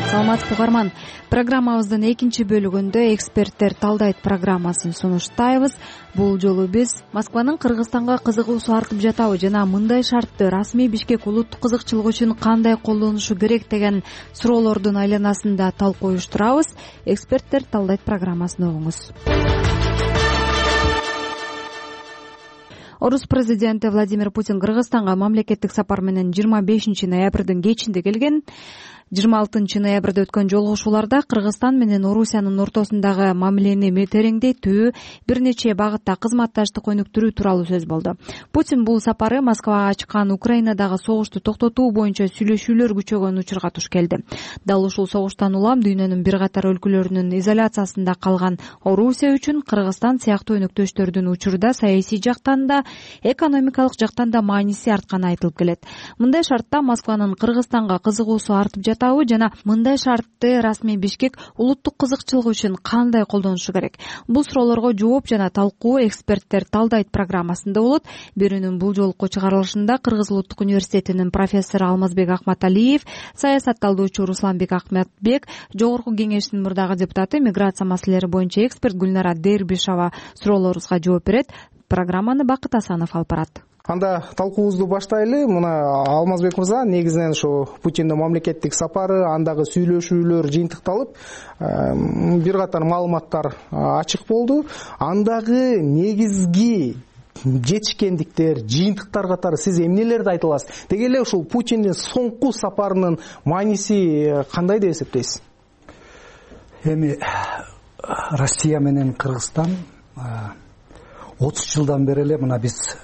Саламатсызбы угарман, программабыздын экинчи бөлүгүндө эксперттер талдайт программасын сунуштайбыз. Бул жолу биз Москванын Кыргызстанга кызыгуусу артып жатабы жана мындай шартты расмий Бишкек улуттук кызыкчылык үчүн кандай колдонушу керек деген суроолордун айланасында талкуу уюштурабыз. Эксперттер талдайт программасын угуңуз. Орус президенти Владимир Путин Кыргызстанга мамлекеттик сапар менен жыйырма бешинчи ноябрдын кечинде келген. жыйырма алтынчы ноябрда өткөн жолугушууларда Кыргызстан менен Орусиянын ортосундагы мамилени тереңдетүү, бир нече багытта кызматташтык өнүктүрүү тууралуу сөз болду. Путин бул сапары Москвага ачкан Украинадагы согушту токтотуу боюнча сүйлөшүүлөр күчөгөн учурга туш келди. Дал ушул согуштан улам дүйнөнүн бир катар өлкөлөрүнүн изоляциясында калган Орусия үчүн Кыргызстан сыяктуу өнөктөштөрдүн учурда саясий жактан да, экономикалык жактан да мааниси артканы айтылып келет. Мындай шартта Москванын Кыргызстанга кызыгуусу артып жатабы жана мындай шартты расмий Бишкек улуттук кызыкчылык үчүн кандай колдонушу керек? Бул суроолорго жооп жана талкуу эксперттер талдайт программасында болот. Берүүнүн бул жолку чыгарылышында Кыргыз улуттук университетинин профессору Алмазбек Акматалиев, саясат талдоочу Русланбек Ахметбек, жогорку кеңештин мурдагы депутаты, миграция маселелери боюнча эксперт Гүлнара Дербишова суроолорубузга жооп берет. Программаны Бакыт Асанов алып барат. Анда талкуубузду баштайлы. Мына Алмазбек мырза, негизинен ушу Путиндин мамлекеттик сапары, андагы сүйлөшүүлөр жыйынтыкталып, бир катар маалыматтар ачык болду. Андагы негизги жетишкендиктер, жыйынтыктар катары сиз эмнелерди айта аласыз? Деги эле ушул Путиндин соңку сапарынын мааниси кандай деп эсептейсиз? Эми Россия менен Кыргызстан отуз жылдан бери эле мына биз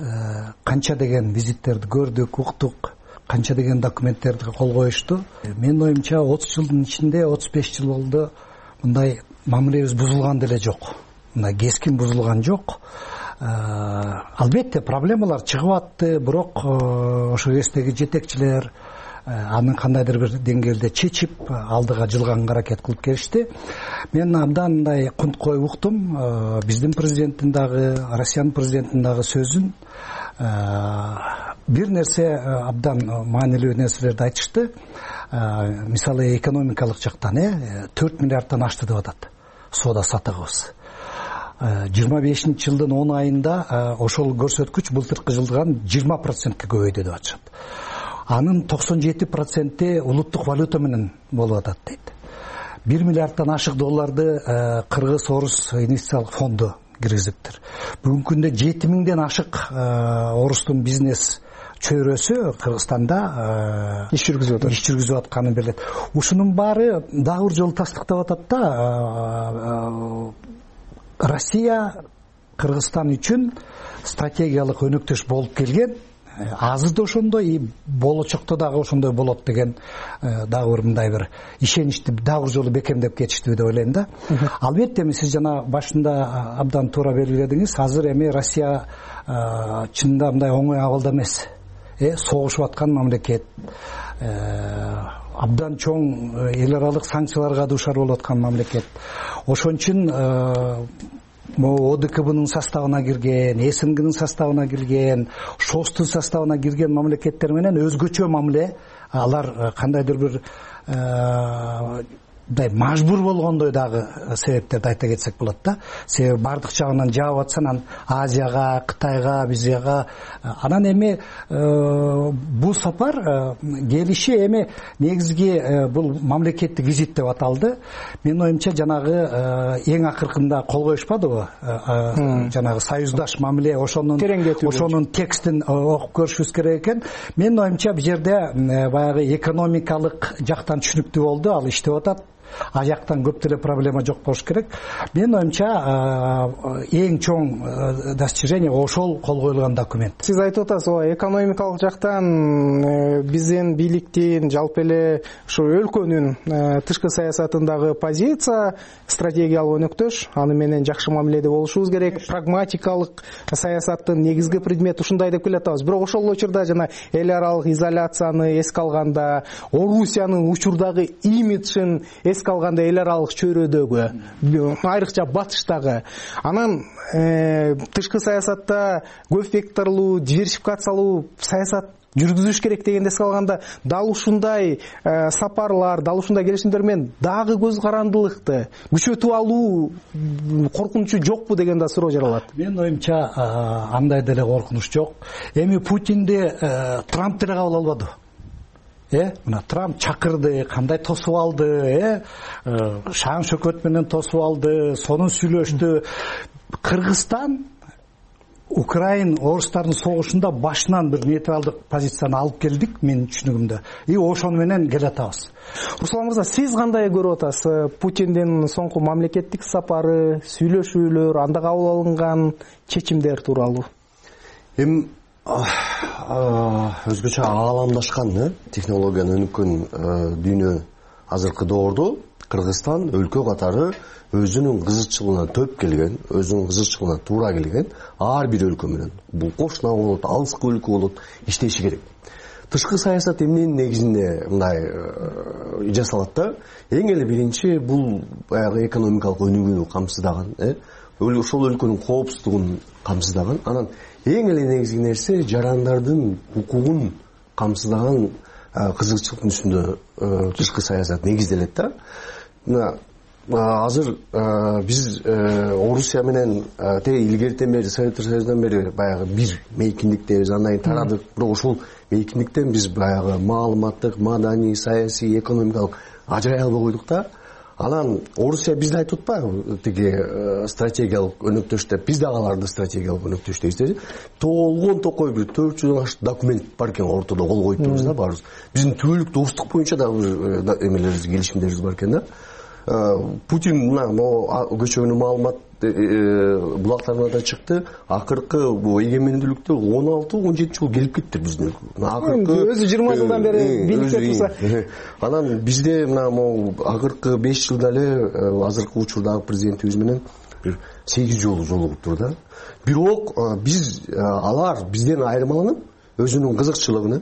канча деген визиттерди көрдүк, уктук, канча деген документтерди кол коюшту. Менин оюмча отуз жылдын ичинде отуз беш жыл болду мындай мамилебиз бузулган деле жок. Мындай кескин бузулган жок. Албетте проблемалар чыгып атты, бирок ошо кездеги жетекчилер анын кандайдыр бир деңгээлде чечип, алдыга жылганга аракет кылып келишти. Мен абдан мындай кунт коюп уктум биздин президенттин дагы, Россиянын президентинин дагы сөзүн. Бир нерсе абдан маанилүү нерселерди айтышты. Мисалы экономикалык жактан төрт миллиардтан ашты деп атат соода саттыгыбыз. жыйырма бешинчи жылдын он айында ошол көрсөткүч былтыркы жылдан жыйырма процентке көбөйдү деп атышат. Анын токсон жети проценти улуттук валюта менен болуп атат дейт. бир миллиардтан ашык долларды Кыргыз Орус инвестициялык фонду киргизиптир. Бүгүнкү күндө жети миңден ашык орустун бизнес чөйрөсү Кыргызстанда иш жүргүзүп атат. Иш жүргүзүп атканы белет. Ушунун баары дагы бир жолу тастыктап атат да, Россия Кыргызстан үчүн стратегиялык өнөктөш болуп келген. Азыр да ошондой, и болочокто дагы ошондой болот деген дагы бир мындай бир ишеничти дагы бир жолу бекемдеп кетиштиби деп ойлойм да. Албетте сиз жана башында абдан туура белгиледиңиз. Азыр эми Россия чынында мындай оңой абалда эмес. Э согушуп аткан мамлекет. Абдан чоң эл аралык санкцияларга дуушар болуп аткан мамлекет. Ошон үчүн о д к бнын составына кирген, э с н гнын составына кирген, шостун составына кирген мамлекеттер менен өзгөчө мамиле, алар кандайдыр бир мындай мажбур болгондой дагы себептерди айта кетсек болот да. Себеби бардык жагынан жаап атсан анан Азияга, Кытайга, бизге анан эми бул сапар келиши эми негизги бул мамлекеттик визит деп аталды. Менин оюмча жанагы эң акыркында кол коюшпадыбы? Жанагы союздаш мамиле ошонун ошонун текстин окуп көрүшүбүз керек экен. Менин оюмча бул жерде баягы экономикалык жактан түшүнүктүү болду, ал иштеп атат. А жактан көп деле проблема жок болуш керек. Менин оюмча эң чоң достижение ошол кол коюлган документ. Сиз айтып атасыз, ооба, экономикалык жактан биздин бийликтин, жалпы эле ушу өлкөнүн тышкы саясатындагы позиция стратегиялык өнөктөш, аны менен жакшы мамиледе болушубуз керек. Прагматикалык саясаттын негизги предмети ушундай деп келатабыз. Бирок ошол учурда жана эл аралык изоляцияны эске алганда, Орусиянын учурдагы имиджин эске алганда, эл аралык чөйрөдөгү, айрыкча батыштагы, анан тышкы саясатта көп векторлуу, диверсификациялуу саясат жүргүзүш керек дегенде эске алганда, дал ушундай сапарлар, дал ушундай келишимдер менен дагы көз карандылыкты күчөтүп алуу коркунучу жокпу деген да суроо жаралат. Менин оюмча андай деле коркунуч жок. Эми Путинди Трамп деле кабыл албады. Э, мына Трамп чакырды, кандай тосуп алды, э, шаң шөкөт менен тосуп алды, сонун сүйлөштү. Кыргызстан Украин орустардын согушунда башынан бир нейтралдык позицияны алып келдик, менин түшүнүгүмдө. И ошону менен келатабыз. Руслан мырза, сиз кандай көрүп атасыз Путиндин соңку мамлекеттик сапары, сүйлөшүүлөр, анда кабыл алынган чечимдер тууралуу? Эми өзгөчө ааламдашкан технологияны өнүккөн дүйнө азыркы доордо Кыргызстан өлкө катары өзүнүн кызыкчылыгына төп келген, өзүнүн кызыкчылыгына туура келген ар бир өлкө менен, бул кошуна болот, алыскы өлкө болот, иштеши керек. Тышкы саясат эмненин негизинде мындай жасалат да? Эң эле биринчи бул баягы экономикалык өнүгүүнү камсыздаган, э, ошол өлкөнүн коопсуздугун камсыздаган, анан эң эле негизги нерсе жарандардын укугун камсыздаган кызыкчылыктын үстүндө тышкы саясат негизделет да. Мына азыр биз Орусия менен теги илгертен бери, Советтер Союзунан бери баягы бир мейкиндиктебиз, андан кийин тарадык. Бирок ошол мейкиндиктен биз баягы маалыматтык, маданий, саясий, экономикалык ажырай албай койдук да. Анан Орусия бизди айтып атпайбы, тиги стратегиялык өнөктөш деп, биз дагы аларды стратегиялык өнөктөш дейбиз. Толгон токой бир төрт жүздөн ашык документ бар экен, ортодо кол коюп турбуз да баарыбыз. Биздин түбөлүк достук боюнча дагы эмелерибиз, келишимдерибиз бар экен да. Путин мына көчөгөнү маалымат булактарына да чыкты. Акыркы бул эгемендүүлүктө он алты он жети жыл келип кетти биздин өлкө. Акыркы өзү жыйырма жылдан бери бийликте турса. Анан бизде мына могу акыркы беш жылда эле азыркы учурдагы президентибиз менен бир сегиз жолу жолугуптур да. Бирок биз алар бизден айырмаланып, өзүнүн кызыкчылыгын,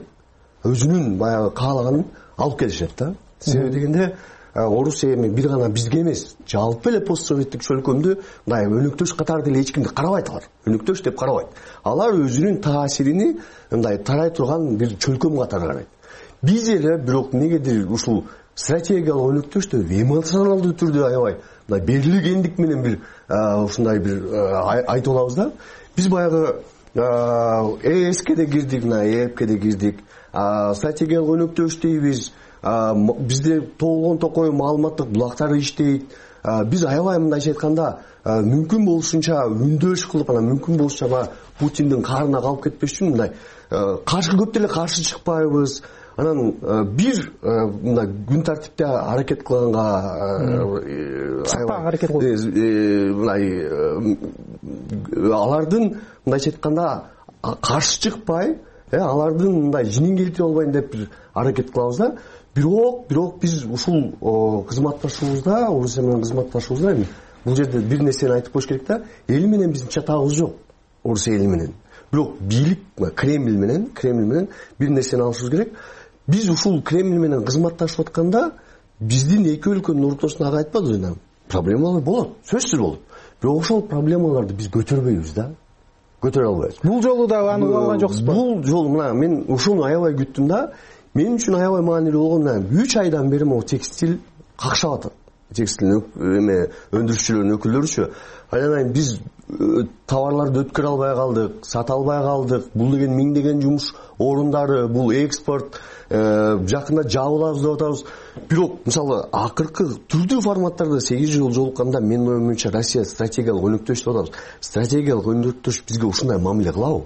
өзүнүн баягы каалаганын алып келишет да. Себеби дегенде Орусия эми бир гана бизге эмес, жалпы эле постсоветтик чөлкөмдү мындай өнөктөш катары деле эч кимди карабайт алар. Өнөктөш деп карабайт. Алар өзүнүн таасирини мындай тарай турган бир чөлкөм катары карайт. Биз эле бирок негедир ушул стратегиялык өнөктөштү эмоционалдуу түрдө аябай мындай берилгендик менен бир ушундай бир айтып алабыз да. Биз баягы ЭСКе да кирдик, мына ЭЭПке да кирдик. Стратегиялык өнөктөш дейбиз. Бизде толгон токой маалыматтык булактар иштейт. Биз аябай мындайча айтканда мүмкүн болушунча үндөш кылып, анан мүмкүн болушунча Путиндин каарына калып кетпеш үчүн мындай каршы көп деле каршы чыкпайбыз. Анан бир мындай күн тартипте аракет кылганга сапаң аракет кылып мындай алардын мындайча айтканда каршы чыкпай, алардын мындай жинин келтире албайын деп бир аракет кылабыз да. Бирок, бирок биз ушул кызматташуубузда, Орусия менен кызматташуубузда бул жерде бир нерсени айтып коюш керек да. Эл менен биздин чатагыбыз жок. Орусия эли менен. Бирок бийлик Кремль менен, Кремль менен бир нерсени алышыбыз керек. Биз ушул Кремль менен кызматташып атканда биздин эки өлкөнүн ортосундагы айтпадыбы, проблемалар болот, сөзсүз болот. Бирок ошол проблемаларды биз көтөрбөйбүз да. Көтөрө албайбыз. Бул жолу да аны уланган жоксузбу? Бул жолу мына мен ушуну аябай күттүм да. Мен үчүн аябай маанилүү болгон мына үч айдан бери могу текстиль какшап атат. текстиль эме өндүрүүчүлөрдүн өкүлдөрүчү анан кийин биз товарларды өткөрө албай калдык, сата албай калдык. Бул деген миңдеген жумуш орундары, бул экспорт жакында жабылабыз деп атабыз. Бирок мисалы акыркы түрдүү форматтарда сегиз жыл жолукканда менин оюм боюнча Россия стратегиялык өнөктөш деп атабыз. Стратегиялык өнөктөш бизге ушундай мамиле кылабы?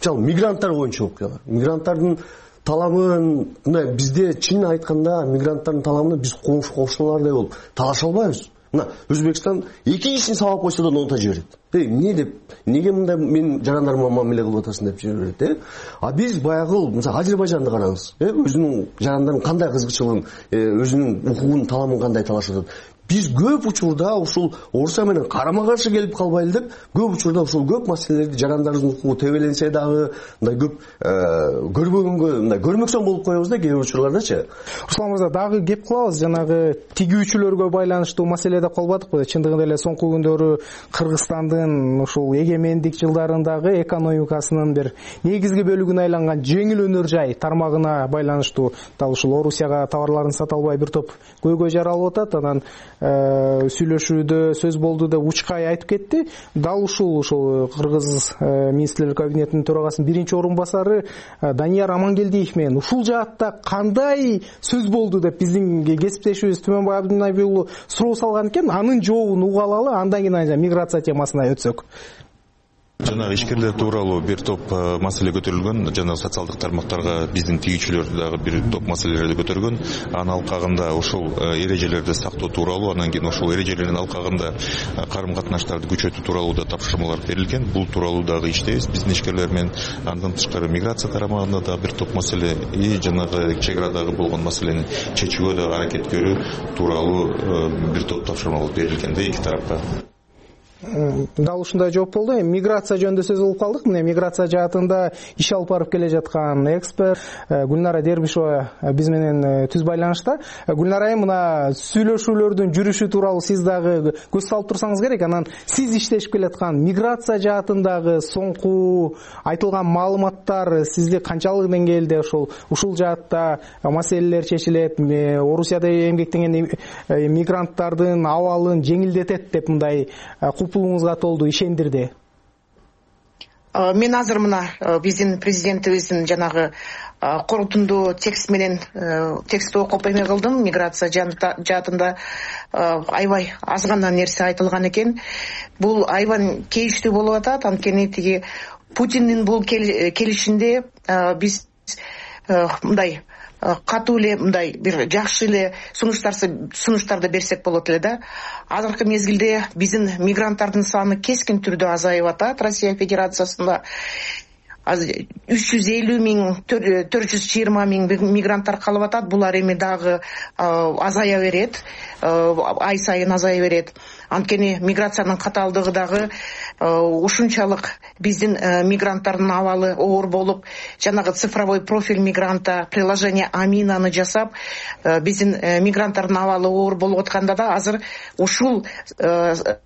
Мисалы мигранттар боюнча окуялар. Мигранттардын талабын мына бизде чын айтканда мигранттардын талабына биз кошуналардай болуп талаша албайбыз. Мына Өзбекстан эки кишини сабап койсо да ноута жиберет. Эмне деп, неге мындай менин жарандарыма мамиле кылып атасың деп жиберет, э? А биз баягы, мисалы Азербайжанды караңыз, э? Өзүнүн жарандарын кандай кызыкчылыгын, өзүнүн укугун, таламын кандай талашып атат. Биз көп учурда ушул Орусия менен карама-каршы келип калбайлы деп, көп учурда ушул көп маселелерди жарандарыбыздын укугу тебеленсе дагы, мындай көп көрбөгөнгө, мындай көрмөксөн болуп коебуз да кээ бир учурлардачы. Руслан мырза, дагы кеп кылабыз, жанагы тигүүчүлөргө байланыштуу маселеде калбадыкпы? Чындыгында эле соңку күндөрү Кыргызстандын ушул эгемендик жылдарындагы экономикасынын бир негизги бөлүгүнө айланган жеңил өнөр жай тармагына байланыштуу дал ушул Орусияга товарларын сата албай бир топ көйгөй жаралып атат. Анан сүйлөшүүдө сөз болду деп Учкай айтып кетти. Дал ушул ошол Кыргыз министрлер кабинетинин төрагасынын биринчи орун басары Данияр Амангелдиев менен ушул жаатта кандай сөз болду деп биздин кесиптешибиз Түмөнбай Абдынабий уулу суроо салган экен. Анын жообун угуп алалы, андан кийин миграция темасына өтсөк. Жанагы ишкерлер тууралуу бир топ маселе көтөрүлгөн. Жанагы социалдык тармактарга биздин тигүүчүлөр дагы бир топ маселелерди көтөргөн. Анын алкагында ошол эрежелерди сактоо тууралуу, анан кийин ошол эрежелердин алкагында карым катнаштарды күчөтүү тууралуу да тапшырмалар берилген. Бул тууралуу дагы иштейбиз биздин ишкерлер менен. Андан тышкары миграция тармагында да бир топ маселе и жанагы чек арадагы болгон маселени чечүүгө да аракет көрүү тууралуу бир топ тапшырмалар берилген да эки тарапка. Дал ушундай жооп болду. Миграция жөнүндө сөз кылып калдык. Мына миграция жаатында иш алып барып келе жаткан эксперт Гүлнара Дербишева биз менен түз байланышта. Гүлнара айым, мына сүйлөшүүлөрдүн жүрүшү тууралуу сиз дагы көз салып турсаңыз керек. Анан сиз иштешип келаткан миграция жаатындагы соңку айтылган маалыматтар сизди канчалык деңгээлде ошол ушул жаатта маселелер чечилет, Орусияда эмгектенген мигранттардын абалын жеңилдетет деп мындай купулуңузга толду ишендирди? Мен азыр мына биздин президентибиздин жанагы корутундуу текст менен текстти окуп эме кылдым. Миграция жаатында аябай аз гана нерсе айтылган экен. Бул аябай кейиштүү болуп атат. Анткени тиги Путиндин бул келишинде биз мындай катуу эле мындай бир жакшы эле сунуштарды берсек болот эле да. Азыркы мезгилде биздин мигранттардын саны кескин түрдө азайып атат Россия Федерациясында. үч жүз элүү миң, төрт жүз жыйырма миң мигранттар калып атат. Булар эми дагы азая берет, ай сайын азая берет. Анткени миграциянын катаалдыгы дагы ушунчалык биздин мигранттардын абалы оор болуп, жанагы цифровой профиль мигранта, приложение Аминаны жасап, биздин мигранттардын абалы оор болуп атканда да азыр ушул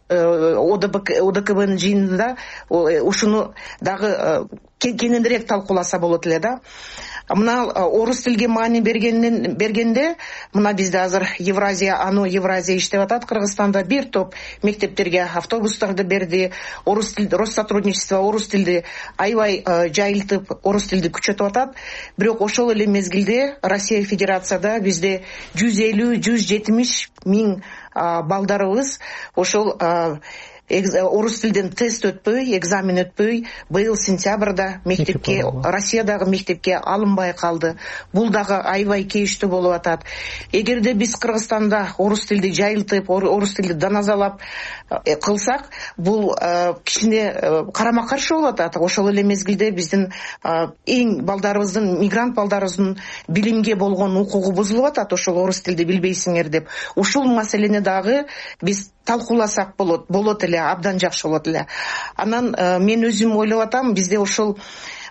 ОДКБнын жыйынында ушуну дагы кеңирээк талкууласа болот эле да. Мына орус тилге маани бергенден бергенде мына бизде азыр Евразия, ано Евразия иштеп атат Кыргызстанда. Бир топ мектептерге автобустарды берди. Орус тил Россотрудничество орус тилди аябай жайылтып, орус тилди күчөтүп атат. Бирок ошол эле мезгилде Россия Федерацияда бизде жүз элүү жүз жетимиш миң балдарыбыз ошол орус тилден тест өтпөй, экзамен өтпөй, быйыл сентябрда мектепке, Россиядагы мектепке алынбай калды. Бул дагы аябай кейиштүү болуп атат. Эгерде биз Кыргызстанда орус тилди жайылтып, орус тилди даназалап кылсак, бул кичине карама-каршы болуп атат. Ошол эле мезгилде биздин эң балдарыбыздын, мигрант балдарыбыздын билимге болгон укугу бузулуп атат, ошол орус тилди билбейсиңер деп. Ушул маселени дагы биз талкууласак болот, болот эле, абдан жакшы болот эле. Анан мен өзүм ойлоп атам, бизде ошол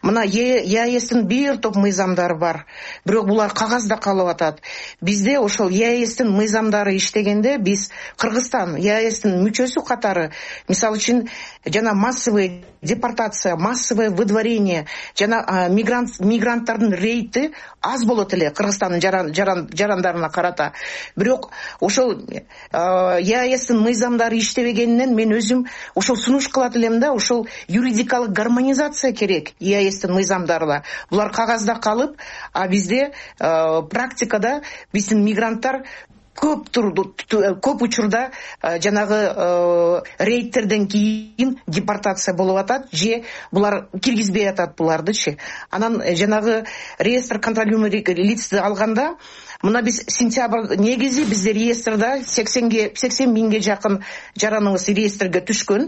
мына еаэстин бир топ мыйзамдары бар, бирок булар кагазда калып атат. Бизде ошол еаэстин мыйзамдары иштегенде биз Кыргызстан еаэстин мүчөсү катары, мисалы үчүн жана массовый депортация, массовое выдворение жана мигрант мигранттардын рейти аз болот эле Кыргызстандын жаран, жаран, жарандарына карата. Бирок ошол еаэстин мыйзамдары иштебегенинен мен өзүм ошол сунуш кылат элем да, ошол юридикалык гармонизация керек еаэстин мыйзамдарына. Булар кагазда калып, а бизде практикада биздин мигранттар көп турду көп учурда жанагы рейдтерден кийин депортация болуп атат, же булар киргизбей атат булардычы. Анан жанагы реестр контролируемых лицти алганда, мына биз сентябрь негизи бизде реестрда сексенге сексен миңге жакын жараныбыз реестрге түшкөн.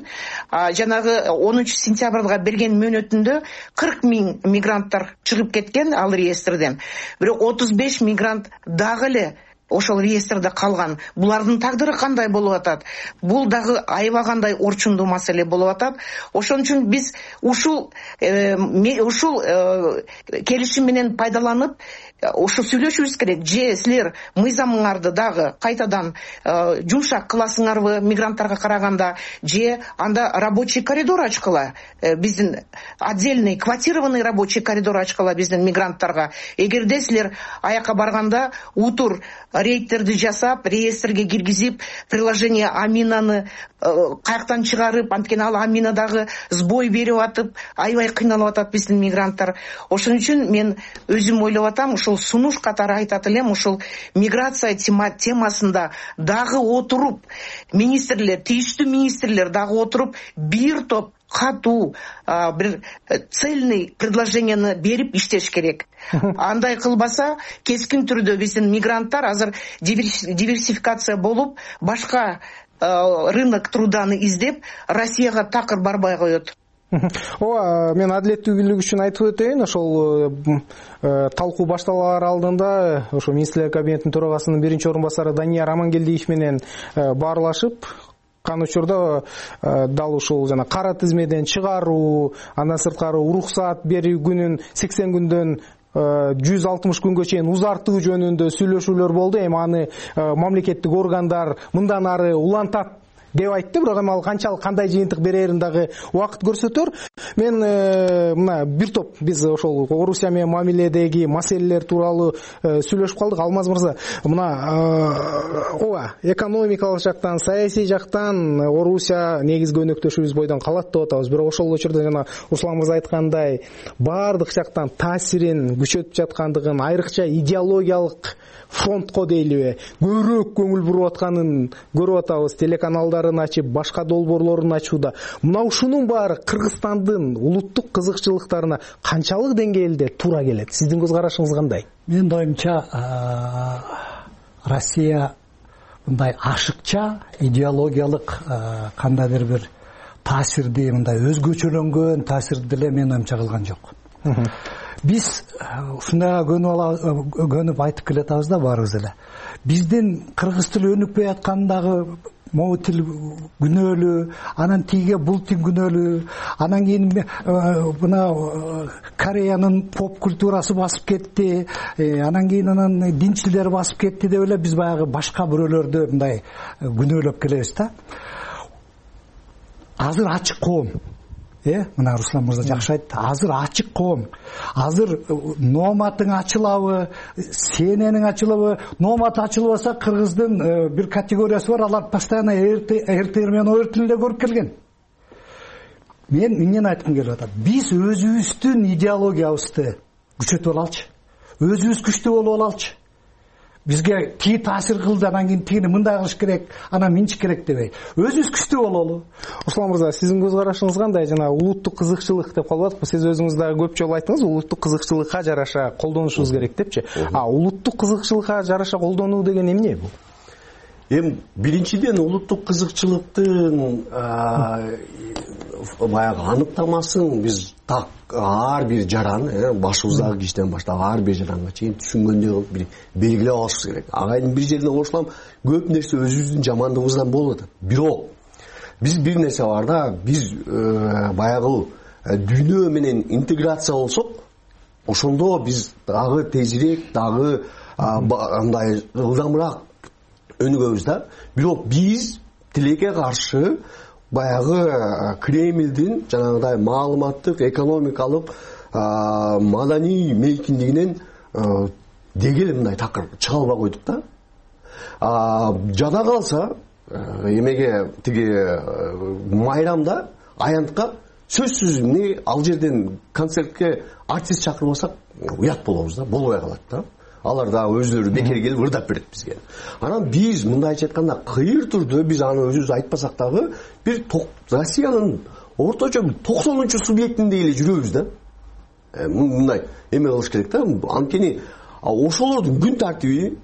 Жанагы онунчу сентябрга берген мөөнөтүндө кырк миң мигранттар чыгып кеткен ал реестрден. Бирок отуз беш мигрант дагы эле ошол реестрде калган. Булардын тагдыры кандай болуп атат? Бул дагы аябагандай орчундуу маселе болуп атат. Ошон үчүн биз ушул ушул келишим менен пайдаланып ошо сүйлөшүбүз керек. Же силер мыйзамыңарды дагы кайтадан жумшак кыласыңарбы мигранттарга караганда, же анда рабочий коридор ачкыла, биздин отдельный квотированный рабочий коридор ачкыла биздин мигранттарга. Эгерде силер аяка барганда утур рейдтерди жасап, реестрге киргизип, приложение Аминаны каяктан чыгарып, анткени ал Аминадагы сбой берип атып, аябай кыйналып атат биздин мигранттар. Ошон үчүн мен өзүм ойлоп атам, ушул сунуш катары айтат элем, ушул миграция темасында дагы отуруп, министрлер, тийиштүү министрлер дагы отуруп, бир топ катуу бир цельный предложенияны берип иштеш керек. Андай кылбаса, кескин түрдө биздин мигранттар азыр диверсификация болуп, башка рынок труданы издеп, Россияга такыр барбай коет. Ооба, мен адилеттүүлүк үчүн айтып өтөйүн. Ошол талкуу башталаар алдында ошо министрлер кабинетинин төрагасынын биринчи орун басары Данияр Амангелдиев менен баарлашып, кан учурда дал ушул жана кара тизмеден чыгаруу, андан сырткары уруксат берүү күнүн сексен күндөн жүз алтымыш күнгө чейин узартуу жөнүндө сүйлөшүүлөр болду. Эми аны мамлекеттик органдар мындан ары улантат деп айтты, бирок эми ал канчалык кандай жыйынтык берерин дагы убакыт көрсөтөр. Мен мына бир топ биз ошол Орусия менен мамиледеги маселелер тууралуу сүйлөшүп калдык. Алмаз мырза, мына ооба, экономикалык жактан, саясий жактан Орусия негизги өнөктөшүбүз бойдон калат деп атабыз. Бирок ошол учурда жана Руслан мырза айткандай, баардык жактан таасирин күчөтүп жаткандыгын, айрыкча идеологиялык фронтко дейлиби, көбүрөөк көңүл буруп атканын көрүп атабыз. Телеканалдарын ачып, башка долбоорлорун ачууда. Мына ушунун баары Кыргызстандын улуттук кызыкчылыктарына канчалык деңгээлде туура келет? Сиздин көз карашыңыз кандай? Менин оюмча, Россия мындай ашыкча идеологиялык кандайдыр бир таасирди, мындай өзгөчөлөнгөн таасирди деле менин оюмча кылган жок. Биз ушундайга көнүп айтып келатабыз да баарыбыз эле. Биздин кыргыз тили өнүкпөй аткандагы могу тил күнөөлүү, анан тиге бул тил күнөөлүү, анан кийин мына Кореянын поп культурасы басып кетти, анан кийин анан динчилдер басып кетти деп эле биз баягы башка бирөөлөрдү мындай күнөөлөп келебиз да. Азыр ачык коом. Э, мына Руслан мырза жакшы айтты. Азыр ачык коом. Азыр номатың ачылабы, сененин ачылабы? Номат ачылбаса, кыргыздын бир категориясы бар, алар постоянно эр тэ эр менен оор тилинде көрүп келген. Мен эмнени айткым келип атат? Биз өзүбүздүн идеологиябызды күчөтүп алалычы. Өзүбүз күчтүү болуп алалычы. Бизге тиги таасир кылды, анан кийин тигини мындай кылыш керек, анан минчик керек дебей, өзүбүз күчтүү бололу. Руслан мырза, сиздин көз карашыңыз кандай? Жана улуттук кызыкчылык деп калып атпы. Сиз өзүңүз дагы көп жолу айттыңыз, улуттук кызыкчылыкка жараша колдонушубуз керек депчи. А улуттук кызыкчылыкка жараша колдонуу деген эмне бул? Эми биринчиден улуттук кызыкчылыктын баягы аныктамасын биз так ар бир жаран, башыбыздагы кишиден баштап ар бир жаранга чейин түшүнгөндөй бир белгилеп алышыбыз керек. Агайдын бир жерде кошулам, көп нерсе өзүбүздүн жамандыгыбыздан болуп атат. Бирок биз бир нерсе бар да, биз баягы дүйнө менен интеграция болсок, ошондо биз дагы тезирээк, дагы андай ылдамыраак өнүгөбүз да. Бирок биз тилекке каршы баягы Кремлдин жанагыдай маалыматтык, экономикалык, маданий мейкиндигинен дегеле мындай такыр чыга албай койдук да. Жада калса эмеге тиги майрамда аянтка сөзсүз эмне ал жерден концертке артист чакырбасак уят болобуз да, болбой калат да. Алар да өздөрү бекер келип ырдап берет бизге. Анан биз мындайча айтканда кыйыр түрдө биз аны өзүбүз айтпасак дагы бир Россиянын орточо токсонунчу субъектинде эле жүрөбүз да. Мындай эме кылыш керек да. Анткени ошолордун күн тартиби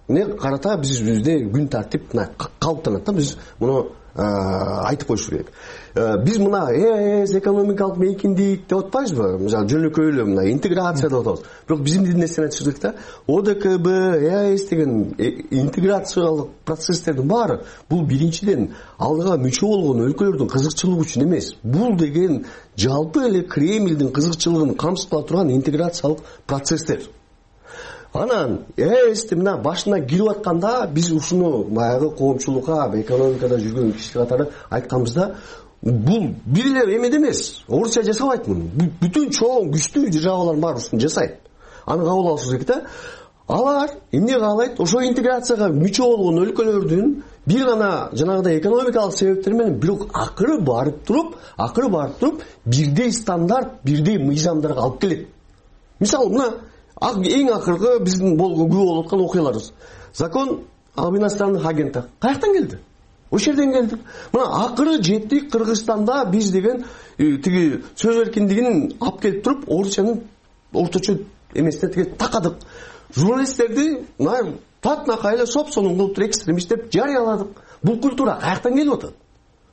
не карата бизде күн тартип калыптанат да. Биз муну айтып коюш керек. Биз мына эс экономикалык мейкиндик деп атпайбызбы? Мисалы жөнөкөй эле мына интеграция деп атабыз. Бирок биз эмне нерсени айтыш керек да? О Д К Б, Э А С деген интеграциялык процесстердин баары бул биринчиден алдыга мүчө болгон өлкөлөрдүн кызыкчылыгы үчүн эмес. Бул деген жалпы эле Кремлдин кызыкчылыгын камсыздала турган интеграциялык процесстер. Анан Э А С'ти мына башына кирип атканда биз ушуну баягы коомчулукка, экономикада жүргөн киши катары айтканбыз да, бул бир эле эмеде эмес. Орусия жасабайт муну. Бүтүн чоң күчтүү державалар бар ушуну жасайт. Аны кабыл алышыбыз керек да. Алар эмне каалайт? Ошо интеграцияга мүчө болгон өлкөлөрдүн бир гана жанагыдай экономикалык себептер менен бирок акыры барып туруп, акыры барып туруп бирдей стандарт, бирдей мыйзамдарга алып келет. Мисалы мына эң акыркы биздин күбө болуп аткан окуяларыбыз. Закон об иностранных агентах каяктан келди? Ошол жерден келди. Мына акыры жеттик Кыргызстанда биз деген тиги сөз эркиндигин алып келип туруп, Орусиянын орточо эмесине тиги такадык. Журналисттерди мына татнакай эле соп-сонун кылып туруп экстремист деп жарыяладык. Бул культура каяктан келип атат?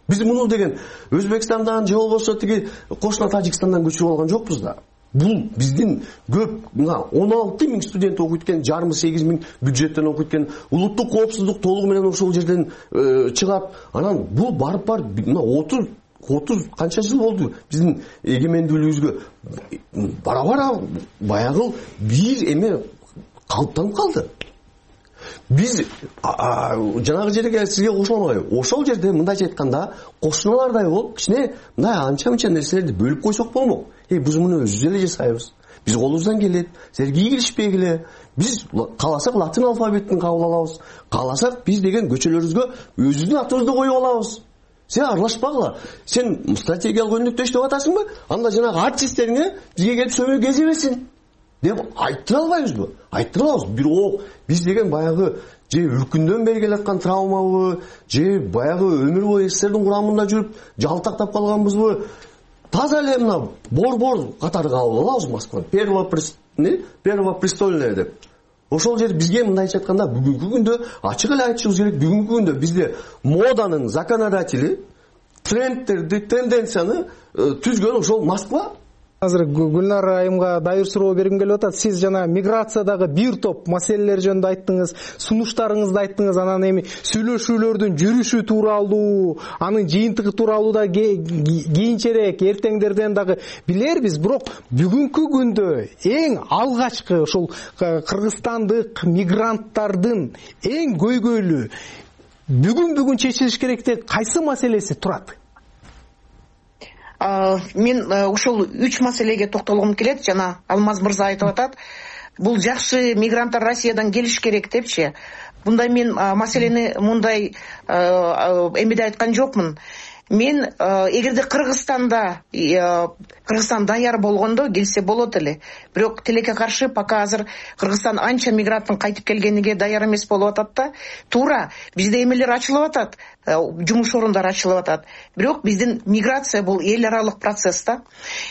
Биз муну деген Өзбекстандан же болбосо тиги кошуна Тажикстандан көчүрүп алган жокпуз да. Бул биздин көп мына он алты миң студент окуйт экен, жарымы сегиз миң бюджеттен окуйт экен, улуттук коопсуздук толугу менен ошол жерден чыгат. Анан бул барып барып мына отуз отуз канча жыл болду биздин эгемендүүлүгүбүзгө. Бара-бара баягы бир эме калыптанып калды. Биз жанагы жерге сизге кошула алмайбы? Ошол жерде мындайча айтканда кошуналардай болуп, кичине мындай анча-мынча нерселерди бөлүп койсок болмок. Эй, биз муну өзүбүз эле жасайбыз. Биз колубуздан келет. Силер кийгилишпегиле. Биз кааласак латын алфавитин кабыл алабыз. Кааласак биз деген көчөлөрүбүзгө өзүбүздүн атыбызды коюп алабыз. Сен аралашпагыла. Сен стратегиялык өнүктүш деп атасыңбы? Анда жанагы артисттериңе бизге келип сөйбө кезебесин деп айттыра албайбызбы? Айттыра алабыз. Бирок биз деген баягы же үркүндөн бери келаткан травмабы, же баягы өмүр бою СССРдин курамында жүрүп жалтактап калганбызбы? Таза эле мына бор-бор катары кабыл алабыз Москваны. Первопрестольная деп. Ошол жер бизге мындайча айтканда бүгүнкү күндө ачык эле айтышыбыз керек. Бүгүнкү күндө бизде моданын законодатели, трендтерди, тенденцияны түзгөн ошол Москва. Азыр Гүлнар айымга дайыр суроо бергим келип атат. Сиз жана миграциядагы бир топ маселелер жөнүндө айттыңыз, сунуштарыңызды айттыңыз, анан эми сүйлөшүүлөрдүн жүрүшү тууралуу, анын жыйынтыгы тууралуу да кийинчерээк эртеңдерден дагы билербиз. Бирок бүгүнкү күндө эң алгачкы ошол кыргызстандык мигранттардын эң көйгөйлүү бүгүн бүгүн чечилиш керек деп кайсы маселеси турат? Мен ушул үч маселеге токтолгум келет. Жана Алмаз мырза айтып атат, бул жакшы мигранттар Россиядан келиш керек депчи. Мындай мен маселени мындай эмеде айткан жокмун. Мен эгерде Кыргызстанда Кыргызстан даяр болгондо келсе болот эле. Бирок тилекке каршы пока азыр Кыргызстан анча мигранттын кайтып келгениге даяр эмес болуп атат да. Туура бизде эмелер ачылып атат, жумуш орундары ачылып атат. Бирок биздин миграция бул эл аралык процесс да.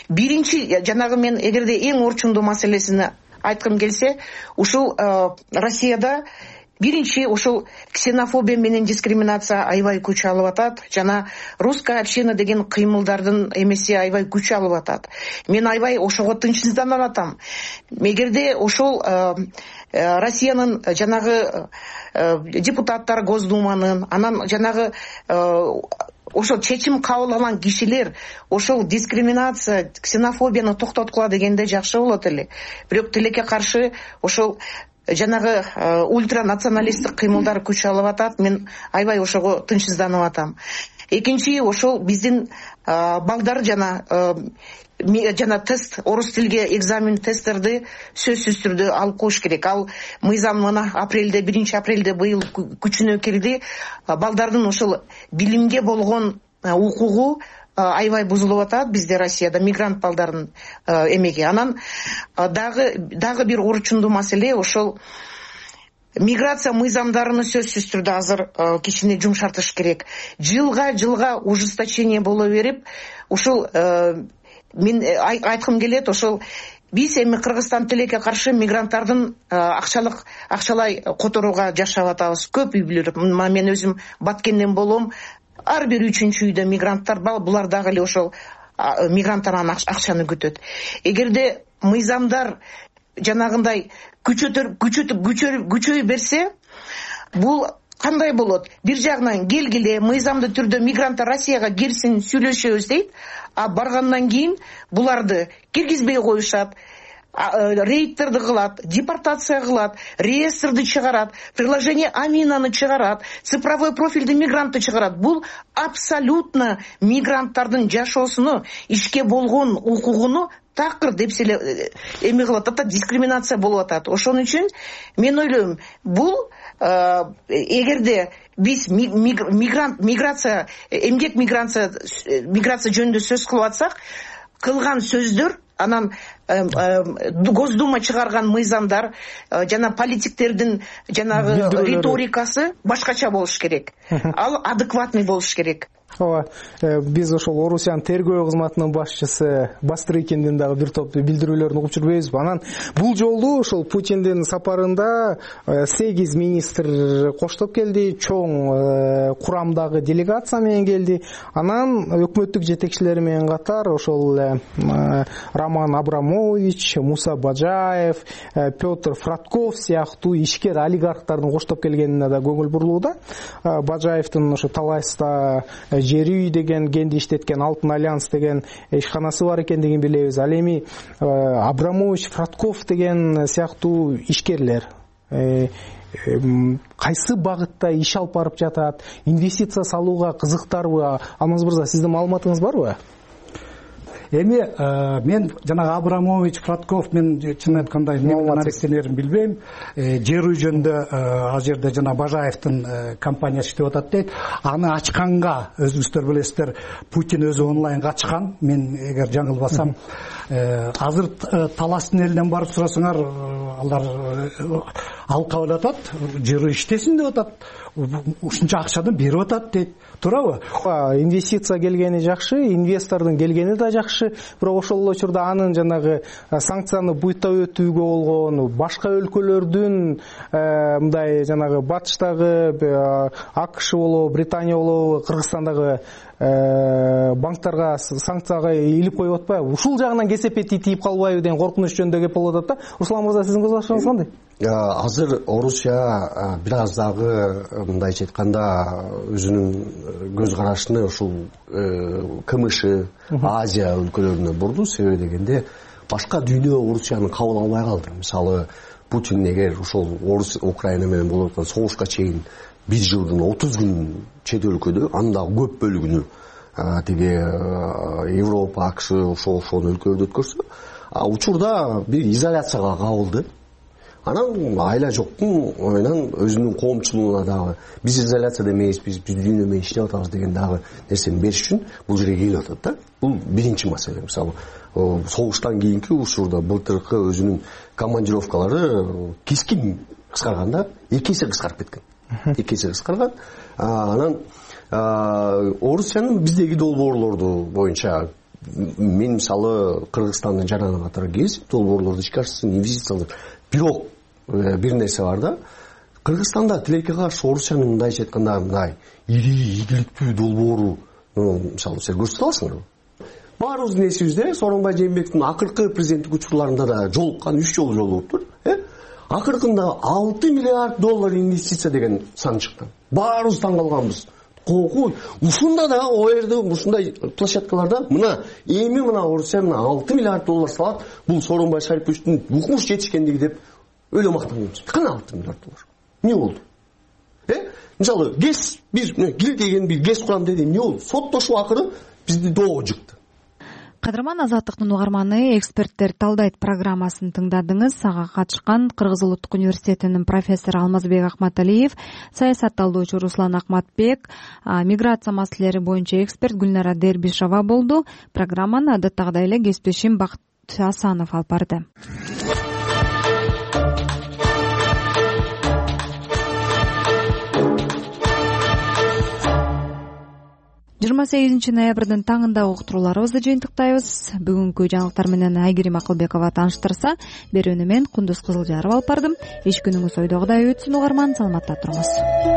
Биринчи жанагы мен эгерде эң орчундуу маселесини айткым келсе, ушул Россияда биринчи ушул ксенофобия менен дискриминация аябай күч алып атат. Жана русская община деген кыймылдардын эмеси аябай күч алып атат. Мен аябай ошого тынчсызданып атам. Эгерде ошол Россиянын жанагы депутаттар Госдуманын, анан жанагы ошол чечим кабыл алган кишилер ошол дискриминация, ксенофобияны токтоткула дегенде жакшы болот эле. Бирок тилекке каршы ошол жанагы ультранационалисттик кыймылдар күч алып атат. Мен аябай ошого тынчсызданып атам. Экинчи, ошол биздин балдар жана жана тест, орус тилге экзамен тесттерди сөзсүз түрдө алып коюш керек. Ал мыйзам мына апрелде, биринчи апрелде быйыл күчүнө кирди. Балдардын ошол билимге болгон укугу аябай бузулуп атат бизде Россияда, мигрант балдардын эмеги. Анан дагы дагы бир орчундуу маселе ошол миграция мыйзамдарыны сөзсүз түрдө азыр кичине жумшартыш керек. Жылга жылга ужесточение боло берип, ушул мен айткым келет, ошол биз эми Кыргызстан тилекке каршы мигранттардын акчалык акчалай которууга жашап атабыз. Көп үй бүлөлөр, мен өзүм Баткенден болом, ар бир үчүнчү үйдө мигранттар бар, булар дагы эле ошол мигранттардан акчаны күтөт. Эгерде мыйзамдар жанагындай күчөтүп күчөтүп күчөй берсе, бул кандай болот? Бир жагынан келгиле, мыйзамдуу түрдө мигранттар Россияга кирсин, сүйлөшөбүз дейт, а баргандан кийин буларды киргизбей коюшат, рейдтерди кылат, депортация кылат, реестрди чыгарат, приложение Аминаны чыгарат, цифровой профилди мигрантты чыгарат. Бул абсолютно мигранттардын жашоосуну, ишке болгон укугуну такыр деп эле эме кылып атат, дискриминация болуп атат. Ошон үчүн мен ойлойм, бул эгерде биз мигрант миграция эмгек миграция миграция жөнүндө сөз кылып атсак, кылган сөздөр, анан Госдума чыгарган мыйзамдар жана политиктердин жанагы риторикасы башкача болуш керек. Ал адекватный болуш керек. Ооба, биз ошол Орусиянын тергөө кызматынын башчысы Бастрыкиндин дагы бир топ билдирүүлөрүн угуп жүрбөйбүзбү? Анан бул жолу ошол Путиндин сапарында сегиз министр коштоп келди, чоң курамдагы делегация менен келди. Анан өкмөттүк жетекчилери менен катар ошол Роман Абрамович, Муса Бажаев, Петр Фратков сыяктуу ишкер олигархтардын коштоп келгенине да көңүл бурулууда. Бажаевдин ошо Талайста жер үй деген кенди иштеткен Алтын Альянс деген ишканасы бар экендигин билебиз. Ал эми Абрамович, Фратков деген сыяктуу ишкерлер кайсы багытта иш алып барып жатат, инвестиция салууга кызыктарбы? Алмаз мырза, сиздин маалыматыңыз барбы? Эми мен жанагы Абрамович, Фратков, мен чын айтканда эмнен аракеттенерин билбейм. Жер үй жөнүндө ал жерде жана Бажаевдин компаниясы иштеп атат дейт. Аны ачканга өзүңүздөр билесиздер, Путин өзү онлайнга ачкан. Мен эгер жаңылбасам, азыр Таластын элинен барып сурасаңар, алар алып кабыл атат, жер үй иштесин деп атат. Ушунча акчаны берип атат дейт. Туурабы? Инвестиция келгени жакшы, инвестордун келгени да жакшы, бирок ошол эле учурда анын жанагы санкцияны буйта өтүүгө болгон, башка өлкөлөрдүн мындай жанагы батыштагы АКШ болобу, Британия болобу, Кыргызстандагы банктарга санкцияга илип коюп атпайбы? Ушул жагынан кесепети тийип калбайбы деген коркунуч жөнүндө кеп болуп атат да. Руслан мырза, сиздин көз карашыңыз кандай? Азыр Орусия бир аз дагы мындайча айтканда өзүнүн көз карашын ушул КМШ, Азия өлкөлөрүнө бурду. Себеби дегенде башка дүйнө Орусияны кабыл албай калды. Мисалы, Путин эгер ушул Орус Украина менен болуп аткан согушка чейин бир жылдын отуз күн чет өлкөдө, анын дагы көп бөлүгүнү тиги Европа, АКШ ошол ошол өлкөлөрдө өткөрсө, учурда бир изоляцияга кабылды. Анан айла жоктун менен өзүнүн коомчулугуна дагы биз изоляцияда эмеспиз, биз дүйнө менен иштеп атабыз деген дагы нерсени бериш үчүн бул жерге келип атат да. Бул биринчи маселе. Мисалы, согуштан кийинки учурда былтыркы өзүнүн командировкалары кескин кыскарганда эки эсе кыскарып кеткен. Эки эсе кыскарган. Анан Орусиянын биздеги долбоорлорду боюнча мен мисалы Кыргызстандын жанагына катары кезип долбоорлорду ишке ашсын, инвестициялар. Бирок бир нерсе бар да. Кыргызстанда тилекке каршы Орусиянын мындайча айтканда мындай ири ийгиликтүү долбоору, мисалы, сиз көрсөтө аласыңарбы? Баарыбыздын эсибизде Сооронбай Жээнбековдун акыркы президенттик учурларында да жолуккан, үч жолу жолугуптур. Акыркында алты миллиард доллар инвестиция деген сан чыккан. Баарыбыз таң калганбыз. коркуу ушунда дагы о жерде ушундай площадкаларда мына эми мына Орусия мына алты миллиард доллар салат бул Сооронбай Шариповичтин укмуш жетишкендиги деп өлө мактанабыз. Кана алты миллиард доллар? Эмне болду? Э? Мисалы, ГЭС биз кил деген бир ГЭС курам деди. Эмне болду? Соттошуу акыры бизди доого жыкты. Кадырман Азаттыктын угарманы, эксперттер талдайт программасын тыңдадыңыз. Ага катышкан Кыргыз Улуттук университетинин профессору Алмазбек Акматалиев, саясат талдоочу Руслан Акматбек, миграция маселелери боюнча эксперт Гүлнара Дербишова болду. Программаны адаттагыдай эле кесиптешим Бакыт Асанов алып барды. жыйырма сегизинчи ноябрдын таңындагы уктурууларыбызды жыйынтыктайбыз. Бүгүнкү жаңылыктар менен Айгерим Акылбекова тааныштырса, берүүнү мен Кундуз Кызылжаров алып бардым. Эч күнүңүз ойдогудай өтсүн угарман, саламатта туруңуз.